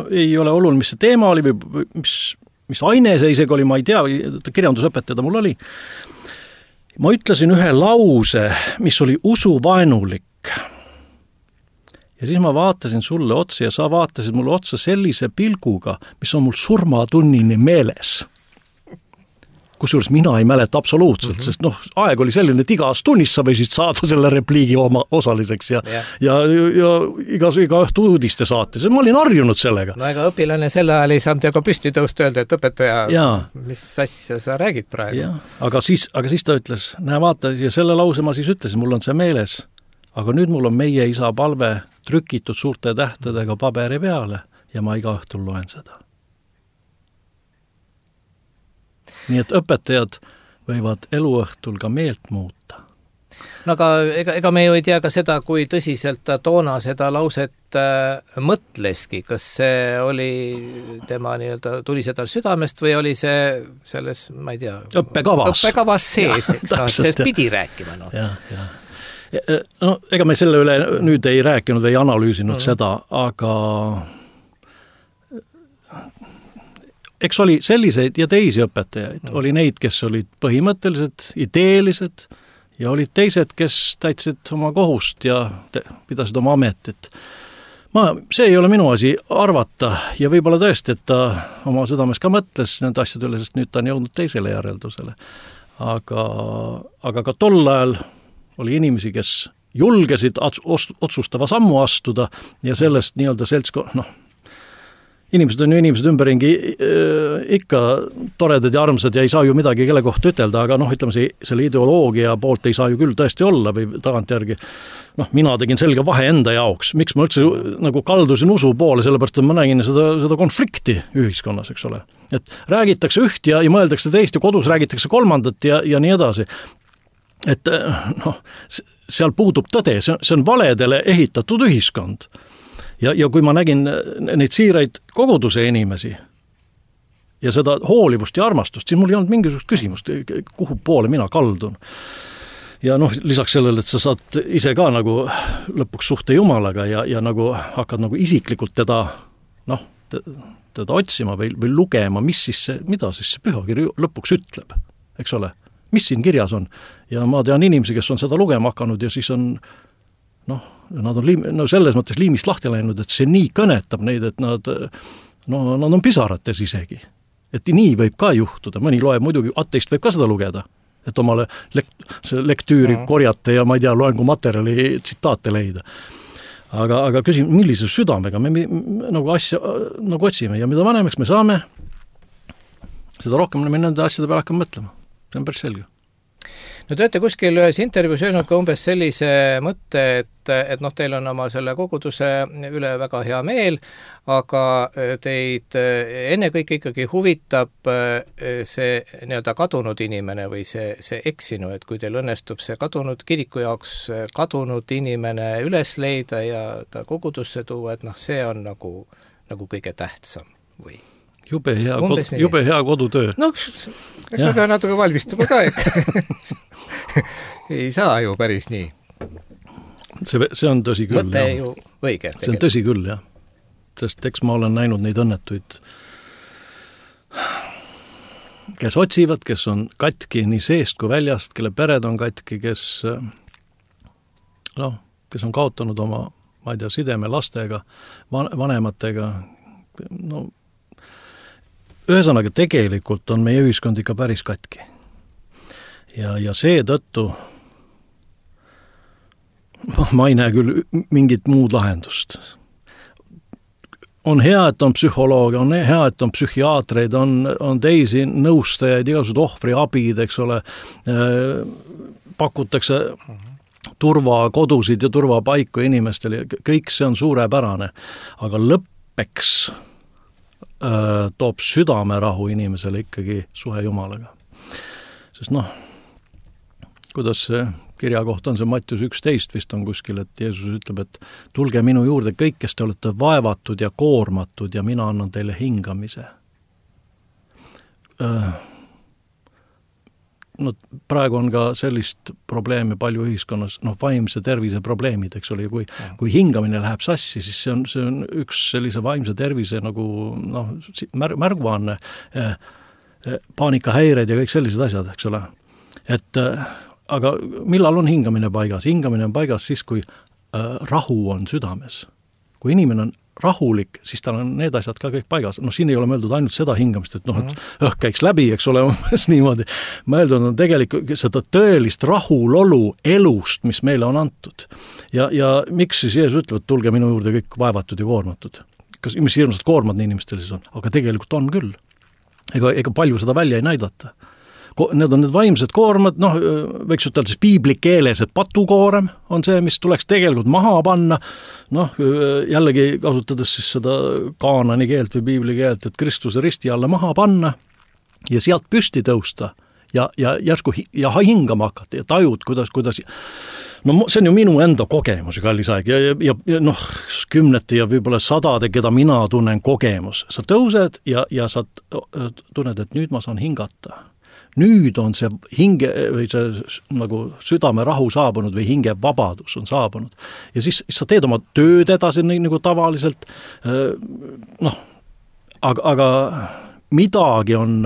ei ole oluline, mis see teema oli või mis aine see isegi oli, ma ei tea, kirjandusõpetaja mul oli. Ma ütlesin ühe lause, mis oli usuvaenulik. Ja siis ma vaatasin sulle otsa ja sa vaatasid mulle otsa sellise pilguga, mis on mul surmatunnini meeles. Kusjuures mina ei mäleta absoluutselt, sest aeg oli selline, et igas tunnis sa võisid saada selle repliigi oma osaliseks ja iga õhtu uudiste saates. Ma olin harjunud sellega. Ega õpilane selle ajal ei saanud ka püsti tõust öelda, et õpetaja, mis asja sa räägid praegu. Ja. Aga siis ta ütles, näe vaata, ja selle lause ma siis ütlesin, mul on see meeles, aga nüüd mul on meie isa palve trükitud suurte tähtedega paberi peale ja ma iga õhtul loen seda. Nii et õpetajad võivad eluõhtul ka meelt muuta. Aga ega me ju ei tea ka seda, kui tõsiselt ta toona seda lauset mõtleski. Kas see oli tema tuli seda südamest või oli see selles, ma ei tea, õppekavas sees, sellest pidi rääkima. Ega me selle üle nüüd ei rääkinud või ei analüüsinud seda, aga eks oli selliseid ja teisi õpetajaid. Oli neid, kes olid põhimõtteliselt ideelised ja olid teised, kes täitsid oma kohust ja pidasid oma ametit. See ei ole minu asi arvata ja võib-olla tõesti, et ta oma südames ka mõtles nende asjade üle, sest nüüd ta on jõudnud teisele järeldusele. Aga ka tol ajal oli inimesi, kes julgesid otsustava sammu astuda ja sellest nii-öelda inimesed on ju inimesed ümberringi ikka toredad ja armsad ja ei saa ju midagi kelle kohta ütelda, aga noh, ütleme selle ideoloogia poolt ei saa ju küll tõesti olla või tagantjärgi. Noh, mina tegin selge vahe enda jaoks, miks ma üldse nagu kaldusin usu poole, sellepärast et ma nägin seda konflikti ühiskonnas, eks ole. Et räägitakse üht ja mõeldakse teist ja kodus räägitakse kolmandat ja nii edasi. Et noh, seal puudub tõde, see on valedele ehitatud ühiskond. Ja kui ma nägin neid siiraid koguduse inimesi ja seda hoolivust ja armastust, siis mul ei olnud mingisugust küsimust, kuhu poole mina kaldun. Ja noh, lisaks sellele, et sa saad ise ka nagu lõpuks suhte Jumalaga ja nagu hakkad nagu isiklikult teda otsima või lugema, mida siis see pühakiri lõpuks ütleb, eks ole, mis siin kirjas on. Ja ma tean inimesi, kes on seda lugema hakanud ja siis on nad on selles mõttes liimist lahti läinud, et see nii kõnetab neid, et nad on pisarates isegi. Et nii võib ka juhtuda, mõni loeb muidugi, ateist võib ka seda lugeda, et omale lektüüri korjata ja ma ei tea, loengu materjali tsitaate leida. Aga küsin, millise südamega me nagu asja nagu otsime ja mida vanemaks me saame, seda rohkem me nende asjade peale hakkame mõtlema. See on päris selge. No te olete kuskil ühes intervjuus öelnud ka umbes sellise mõtte, et noh, teil on oma selle koguduse üle väga hea meel, aga teid ennekõike ikkagi huvitab see nii-öelda kadunud inimene või see eksinu, et kui teil õnnestub see kadunud kiriku jaoks kadunud inimene üles leida ja ta kogudusse tuua, et noh, see on nagu kõige tähtsam või? Jube hea kodutöö. No, eks ma pean natuke valmistuma ka, ei saa ju päris nii. See on tõsi küll. Mõte ju õige. See on tõsi küll, jah. Sest eks ma olen näinud neid õnnetuid, kes otsivad, kes on katki nii seest kui väljast, kelle pered on katki, kes on kaotanud oma, ma ei tea, sideme lastega, vanematega, ühesõnaga tegelikult on meie ühiskond ikka päris katki. Ja see tõttu ma ei näe küll mingit muud lahendust. On hea, et on psühholoogia, on hea, et on psühhiaatreid, on teisi nõustajaid, igasugused ohvriabid, eks ole, pakutakse turvakodusid ja turvapaiku inimestele, kõik see on suurepärane, aga lõppeks toob südamerahu inimesele ikkagi suhe Jumalaga. Sest kuidas see kirja kohta on see Mattius 11 vist on kuskil, et Jeesus ütleb, et tulge minu juurde kõik, kes te olete vaevatud ja koormatud ja mina annan teile hingamise. Praegu on ka sellist probleemi palju ühiskonnas, vaimse tervise probleemid, eks ole, kui hingamine läheb sassi, siis see on üks sellise vaimse tervise nagu märguanne, paanikahäired ja kõik sellised asjad, eks ole. Aga millal on hingamine paigas? Hingamine on paigas siis, kui rahu on südames. Kui inimene on rahulik, siis tal on need asjad ka kõik paigas. Siin ei ole mõeldud ainult seda hingamist, et käiks läbi, eks ole, niimoodi. Mõeldud on tegelikult seda tõelist rahulolu elust, mis meile on antud. Ja miks siis Jeesus ütleb, et tulge minu juurde kõik vaevatud ja koormatud? Mis hirmsad koormad nii inimestel siis on? Aga tegelikult on küll. Ega palju seda välja ei näidata. Need on need vaimsed koormad, võiks ütelda siis piibli keeles, et patukoorem on see, mis tuleks tegelikult maha panna, jällegi kasutades siis seda kaanani keelt või piibli keelt, et Kristuse risti alla maha panna ja sealt püsti tõusta ja järsku hingama hakata ja tajud, kuidas see on ju minu enda kogemus, kallis aeg, ja kümnete ja võib-olla sadade, keda mina tunnen kogemus. Sa tõused ja sa tunned, et nüüd ma saan hingata. Nüüd on see hinge või see nagu südame rahu saabunud või hinge vabadus on saabunud. Ja siis sa teed oma tööd edasi nagu tavaliselt, aga midagi on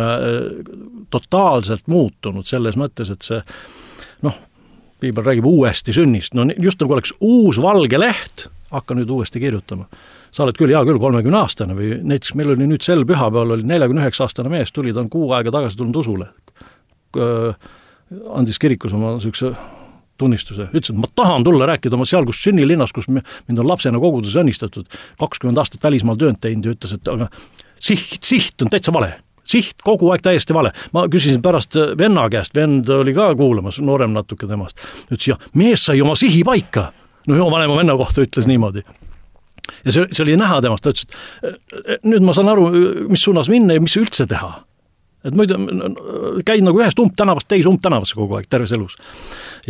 totaalselt muutunud selles mõttes, et see, piibel räägib uuesti sünnist, just nagu oleks uus valge leht, hakka nüüd uuesti kirjutama. Sa oled küll, 30-aastane või näiteks meil oli nüüd sel pühapäeval oli 49-aastane mees, tuli, ta on 6 aega tagasi tulnud usule. Andis kirikus oma sükse tunnistuse, ütles, et ma tahan tulla rääkida oma seal, kus sünnilinnas, kus mind on lapsena koguduses õnnistatud, 20 aastat välismaal töönd teinud ja ütles, et aga siht on täitsa vale. Siht kogu aeg täiesti vale. Ma küsisin pärast venna käest, vend oli ka kuulamas, noorem natuke temast. Ütles, ja mees sai oma sihi paika. No oma vanema venna kohta ütles niimoodi. Ja see oli näha temast, ta ütles, et nüüd ma saan aru, mis suunas minna ja mis üldse teha. Et muidu käid nagu ühest umbtänavast teise umbtänavasse kogu aeg terves elus.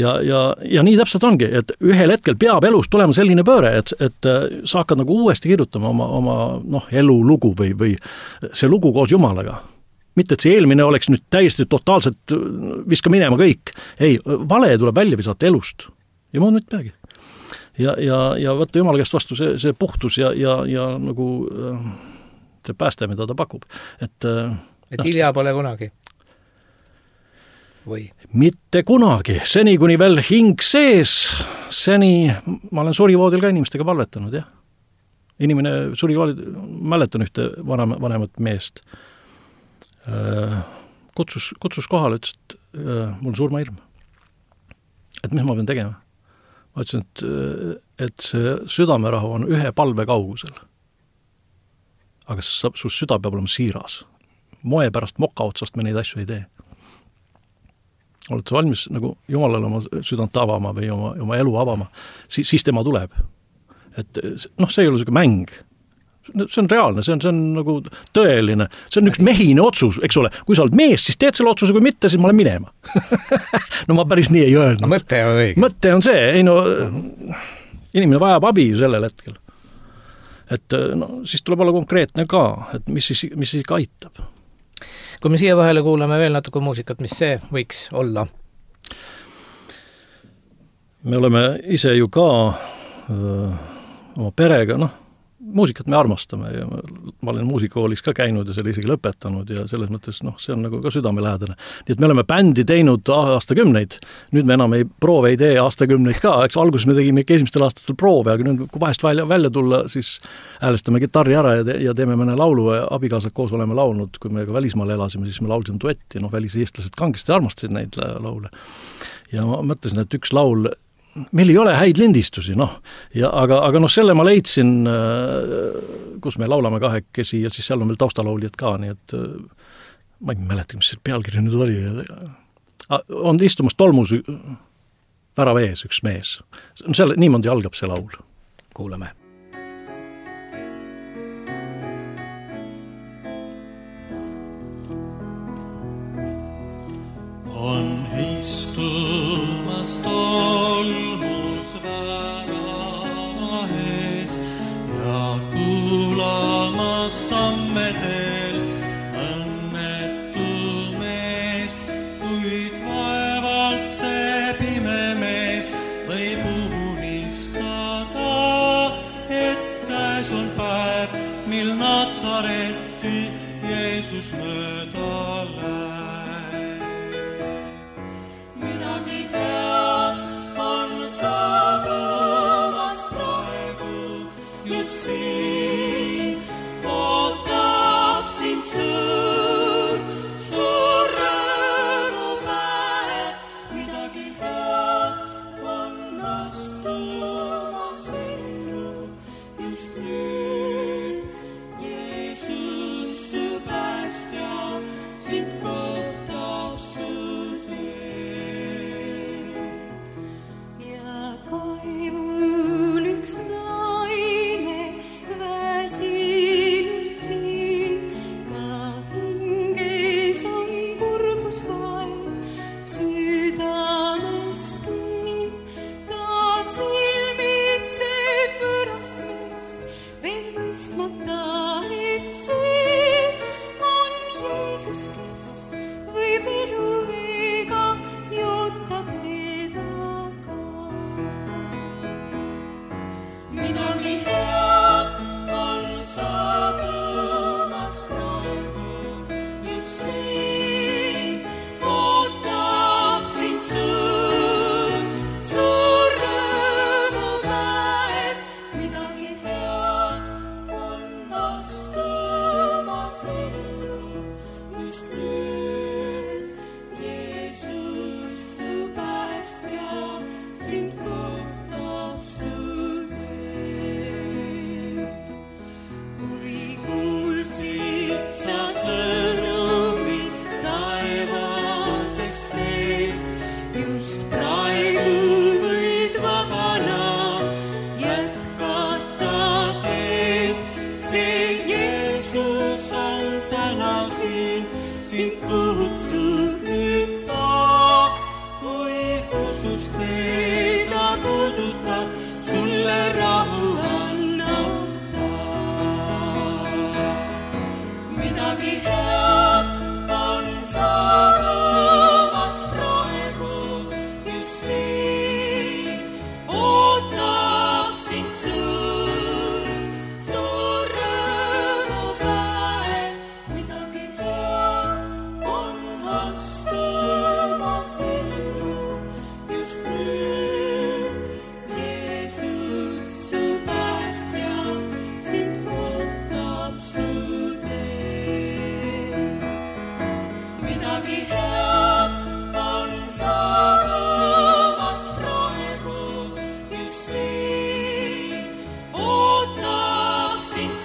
Ja nii täpselt ongi, et ühel hetkel peab elus tulema selline pööre, et sa hakkad nagu uuesti kirjutama oma elulugu või see lugu koos Jumalaga. Mitte, et see eelmine oleks nüüd täiesti totaalselt viska minema kõik. Ei, vale tuleb välja visata elust. Ja muud mitte midagi. Ja võtta Jumala käest vastu see puhtus ja nagu see pääste, mida ta pakub. Et hilja pole kunagi? Või? Mitte kunagi. Seni, kuni veel hing sees, ma olen surivoodil ka inimestega palvetanud, jah. Inimene surivoodil, mäletan ühte vanemat meest. Kutsus kohale, ütles, et mul on surmahirm. Et mis ma pean tegema? Ma ütlesin, et see südamerahu on ühe palve kaugusel. Aga su süda peab olema siiras. Moe pärast moka otsast me neid asju ei tee. Oled sa valmis nagu Jumalale oma südant avama või oma elu avama, siis tema tuleb. Et see ei ole selline mäng. See on reaalne, see on nagu tõeline. See on üks mehine otsus, eks ole. Kui sa oled mees, siis teed selle otsuse, kui mitte, siis ma olen minema. No ma päris nii ei öelnud. No mõtte on õige. Mõtte on see, inimene vajab abi sellel hetkel. Et siis tuleb olla konkreetne ka, et mis siis ikka aitab. Kui me siia vahele kuulame veel natuke muusikat, mis see võiks olla? Me oleme ise ju ka oma perega, muusikat me armastame ja ma olen muusikakoolis ka käinud ja selle isegi lõpetanud ja selles mõttes, see on nagu ka südamelähedane. Nii et me oleme bändi teinud aastakümneid, nüüd me enam ei tee aastakümneid ka, eks alguses me tegime esimestel aastatel proove, aga nüüd kui vahest välja tulla, siis häälestame gitarri ära ja teeme mõne laulu ja abikaasad koos oleme laulnud, kui me ka välismaal elasime, siis me laulsime duetti, väliseestlased kangesti armastasid neid laule. Ja ma mõtlesin, et üks laul meil ei ole häid lindistusi, aga selle ma leidsin, kus me laulame kahekesi ja siis seal on veel taustalaulijad ka, nii et ma ei mäleta, mis see pealkiri nüüd oli. On istumas tolmus värava ees üks mees. Niimoodi algab see laul. Kuulame. On istumas tolmus värava ees ja kuulamas sammedel õnnetu mees, kuid vaevalt see pime mees võib unistada, et käes on päev, mil Natsaretti Jeesus mööda läheb. Saabumas praegu just siin, ootab sind suur rõõmupäev, midagi head on astumas ellu just nüüd. Jeesus, su päästja, sind kohtab su Jeesus on täna siin, sind kutsub nüüd ta, kui usus teda puudutab, sulle rahu annab ta. Midagi head on saabumas praegu, just siin ootab sind suur rõõmupäev. Midagi head on astumas ellu, just nüüd Jeesus, su päästja, sind ootab su teel. Midagi head on saabumas praegu, just siin ootab sind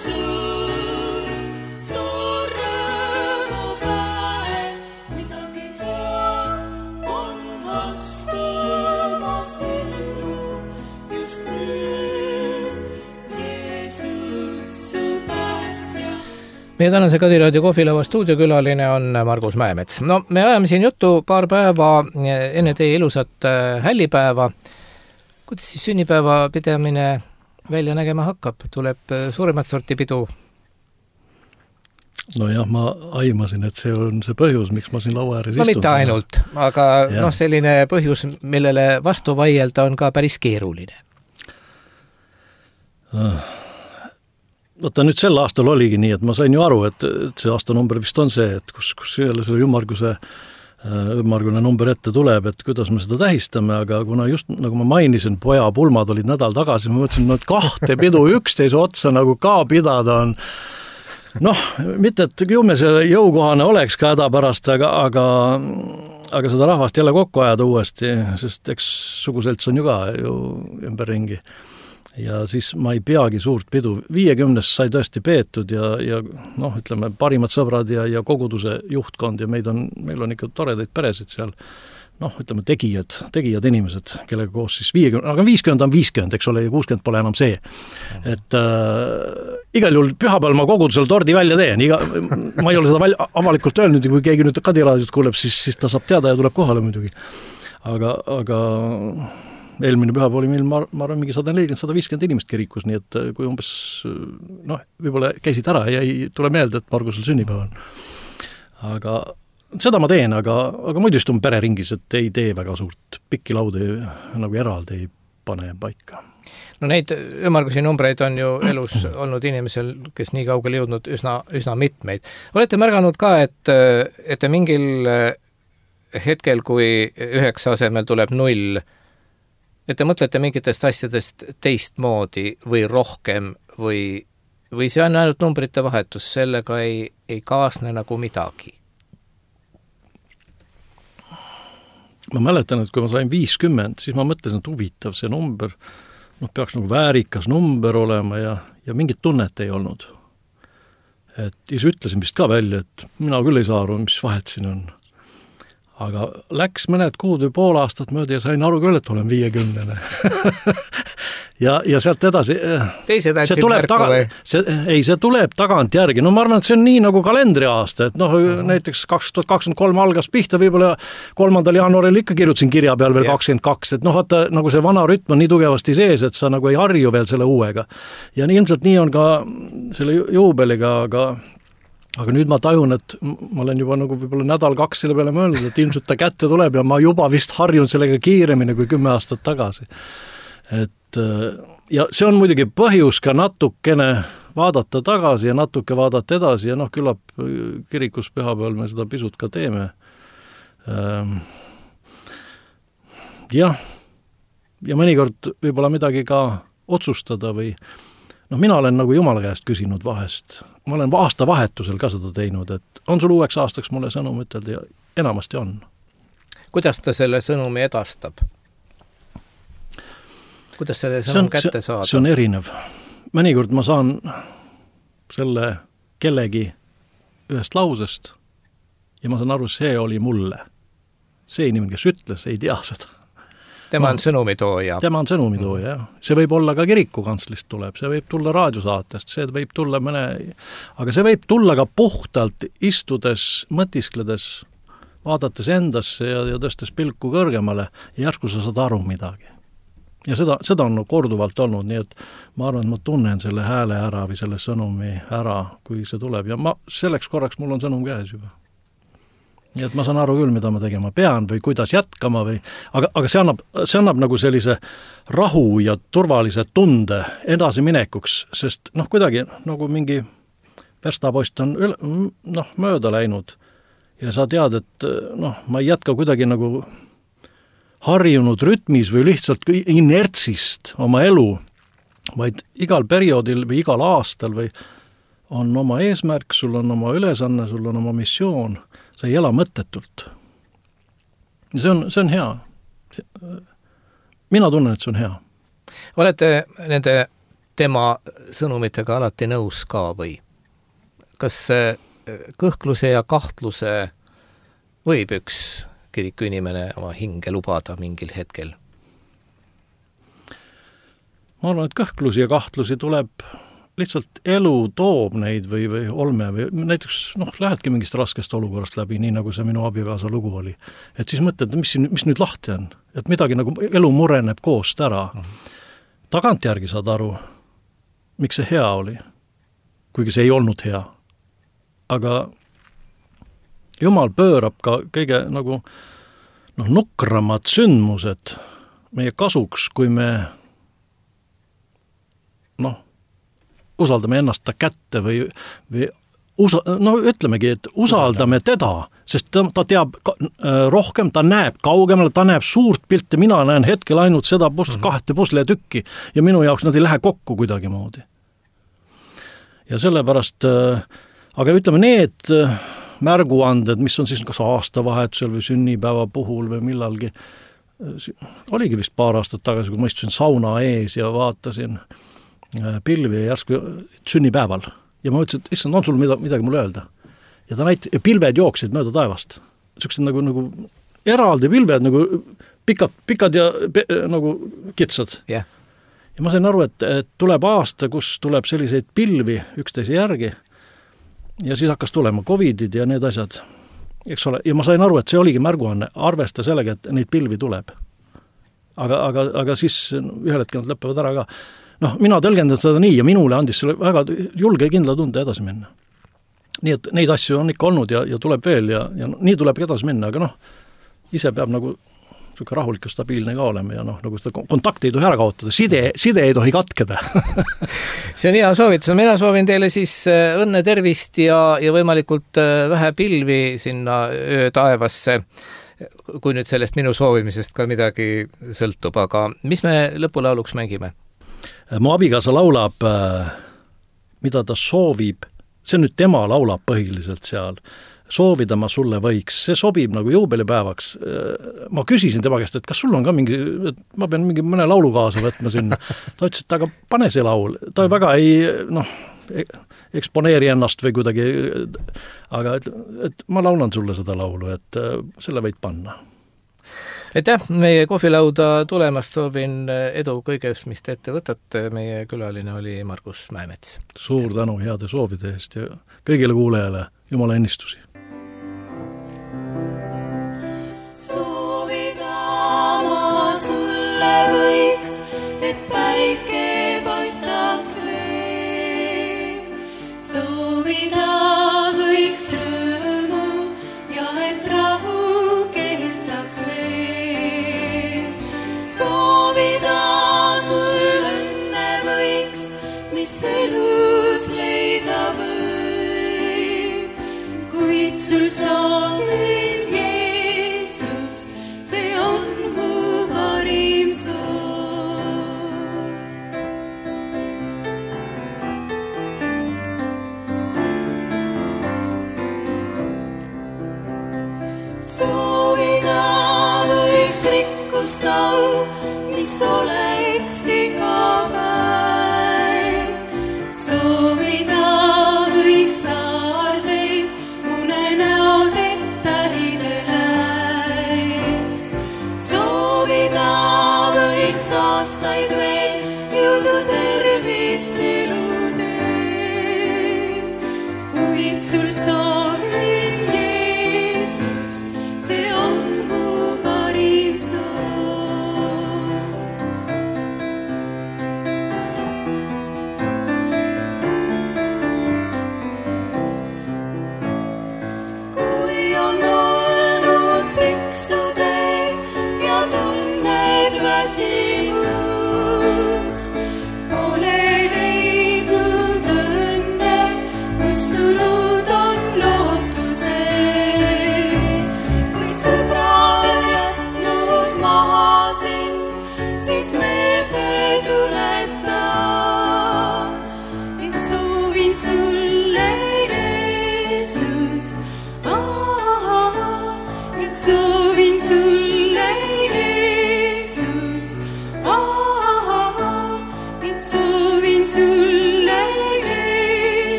suur rõõmupäev. Midagi head on astumas ellu, just nüüd Jeesus, su päästja. Meie tänase Kadiraadio kohvilava stuudiokülaline on Margus Mäemets. No, me ajame siin juttu paar päeva enne teie ilusat hällipäeva. Kuidas siis sünnipäeva pidamine välja nägema hakkab? Tuleb suuremat sorti pidu? Nojah, ma aimasin, et see on see põhjus, miks ma siin laua ääres No istun. mitte ainult, aga Jah. selline põhjus, millele vastu vaielda on ka päris keeruline. Vaata, nüüd sel aastal oligi nii, et ma sain ju aru, et see aastanumber vist on see, et kus jälle selle ümmargune number ette tuleb, et kuidas me seda tähistame, aga kuna just nagu ma mainisin, poja pulmad olid nädal tagasi, ma mõtlesin, et kahte pidu üksteise otsa nagu ka pidada on, mitte et ju me see jõukohane oleks ka hädapärast, aga seda rahvast jälle kokku ajada uuesti, sest eks suguselts on ju ka ju ümberringi. Ja siis ma ei peagi suurt pidu. 50 sai tõesti peetud ja ütleme, parimad sõbrad ja koguduse juhtkond ja meil on ikka toredaid peresid seal, ütleme, tegijad inimesed, kellega koos siis 50, aga 50 on 50, eks ole, ja 60 pole enam see. Et igal juhul pühapäeval ma kogudusel tordi välja teen, ma ei ole seda avalikult öelnud, kui keegi nüüd Kadiraadiot kuuleb, siis ta saab teada ja tuleb kohale muidugi. Aga eelmine pühapäev oli meil, ma arvan, mingi 140-150 inimest kirikus, nii et kui umbes, võib-olla käisid ära ja ei tule meelde, et Margusel sünnipäev on. Aga seda ma teen, aga muidu istun pereringis, et ei tee väga suurt pikki laude nagu eraldi ei pane paika. No neid ümmargusi numbreid on ju elus olnud inimesel, kes nii kaugele jõudnud üsna mitmeid. Olete märganud ka, et te mingil hetkel, kui 9 asemel tuleb 0, et te mõtlete mingitest asjadest teistmoodi või rohkem või see on ainult numbrite vahetus, sellega ei kaasne nagu midagi? Ma mäletan, et kui ma sain 50, siis ma mõtlesin, et huvitav see number, peaks nagu väärikas number olema ja mingit tunnet ei olnud. Et siis ütlesin vist ka välja, et mina küll ei saa aru, mis vahet siin on. Aga läks mõned kuud või pool aastat mööda ja sain aru küll, et olen 50. ja sealt edasi Teised see tuleb tagant järgi. Ma arvan, et see on nii nagu kalendriaasta, et näiteks 2023 algas pihta, võib-olla 3. jaanuaril ikka kirjutasin kirja peal veel 22, et vaata, nagu see vana rütm on nii tugevasti sees, et sa nagu ei harju veel selle uuega. Ja ilmselt nii on ka selle juubeliga, aga nüüd ma tajun, et ma olen juba nagu võib-olla nädal-2 selle peale mõelnud, et ilmselt ta kätte tuleb ja ma juba vist harjun sellega kiiremini kui 10 aastat tagasi. Ja see on muidugi põhjus ka natukene vaadata tagasi ja natuke vaadata edasi ja küllap kirikus pühapäeval me seda pisut ka teeme. Ja mõnikord võib-olla midagi ka otsustada või mina olen nagu Jumala käest küsinud vahest. Ma olen aastavahetusel ka seda teinud, et on sul uueks aastaks mulle sõnum ütelda ja enamasti on. Kuidas ta selle sõnumi edastab? Kuidas selle sõnum kätte saada? See on erinev. Mõnikord ma saan selle kellegi ühest lausest ja ma saan aru, see oli mulle. See inimene, kes ütles, ei tea seda. tema on sõnumitooja. Tema on sõnumitooja, jah. See võib olla ka kirikukanslist tuleb, see võib tulla raadiosaatest, see võib tulla aga see võib tulla ka puhtalt istudes, mõtiskledes, vaadates endasse ja tõstes pilku kõrgemale ja järsku sa saad aru midagi. Ja seda on korduvalt olnud, nii et ma arvan, et ma tunnen selle hääle ära või selle sõnumi ära, kui see tuleb ja selleks korraks mul on sõnum käes juba. Nii et ma saan aru küll, mida ma tegema pean või kuidas jätkama aga see annab nagu sellise rahu ja turvalise tunde edasiminekuks, sest kuidagi nagu mingi verstapost on mööda läinud ja sa tead, et ma ei jätka kuidagi nagu harjunud rütmis või lihtsalt inertsist oma elu, vaid igal perioodil või igal aastal või on oma eesmärk, sul on oma ülesanne, sul on oma missioon, sa ei ela mõttetult. See on hea. Mina tunnen, et see on hea. Olete nende tema sõnumitega alati nõus ka või? Kas kõhkluse ja kahtluse võib üks kiriku inimene oma hinge lubada mingil hetkel? Ma arvan, et kõhklusi ja kahtlusi tuleb lihtsalt elu toob neid või olme või näiteks lähedki mingist raskest olukorrast läbi, nii nagu see minu abikaasa lugu oli. Et siis mõtled, mis nüüd lahti on? Et midagi nagu elu mureneb koost ära. Tagantjärgi saad aru, miks see hea oli, kuigi see ei olnud hea. Aga Jumal pöörab ka kõige nagu nukramad sündmused meie kasuks, kui me usaldame ennast ta kätte või ütlemegi, et usaldame teda, sest ta teab rohkem, ta näeb kaugemale, ta näeb suurt pilti, mina näen hetkel ainult seda kahte pusletükki ja minu jaoks nad ei lähe kokku kuidagi moodi. Ja sellepärast, aga ütleme need märguanded, mis on siis kas aastavahetusel või sünnipäeva puhul või millalgi, oligi vist paar aastat tagasi, kui ma istusin sauna ees ja vaatasin pilvi järsku sünnipäeval. Ja ma ütlesin, et issand, on sul midagi mulle öelda? Ja pilved jooksid mööda taevast. Sellised nagu eraldi pilved, nagu pikad ja nagu kitsad. Yeah. Ja ma sain aru, et tuleb aasta, kus tuleb selliseid pilvi üksteise järgi ja siis hakkas tulema COVIDid ja need asjad. Eks ole? Ja ma sain aru, et see oligi märguanne, arvesta sellega, et neid pilvi tuleb. Aga siis ühel hetkel nad lõppevad ära ka. Mina tõlgendan seda nii ja minule andis selle väga julge ja kindla tunde edasi minna. Nii et neid asju on ikka olnud ja tuleb veel ja nii tuleb edasi minna, aga ise peab nagu rahulik ja stabiilne ka olema ja nagu seda kontakti ei tohi ära kaotada, side ei tohi katkeda. See on hea soovitus, mina soovin teile siis õnne, tervist ja võimalikult vähe pilvi sinna öö taevasse, kui nüüd sellest minu soovimisest ka midagi sõltub, aga mis me lõpulauluks mängime? Mu abikaasa laulab, mida ta soovib, see nüüd tema laulab põhiliselt seal, soovida ma sulle võiks, see sobib nagu juubelipäevaks. Ma küsisin tema käest, et kas sul on ka mingi, et ma pean mõne laulu kaasa võtma sinna. Ta ütles, et aga pane see laul, ta väga ei eksponeeri ennast või kuidagi, aga et ma laulan sulle seda laulu, et selle võid panna. Aitäh meie kohvilauda tulemast, soovin edu kõiges, mis te ette võtate. Meie külaline oli Margus Mäemets. Suur tänu heade soovide eest ja kõigile kuulejale Jumala ennistusi. Soovida ma sulle võiks, et päike paistaks veel. Soovida võiks rõõmu ja et rahu kestaks veel. Soovida sul õnne võiks, mis elus leida võib. Kuid sul soovin Jeesust, see on mu parim soov. Soovida võiks rikkust au, mis oleks iga päev. Soovida võiks saardeid, unenäod, et tähide läiks. Soovida sul soovida.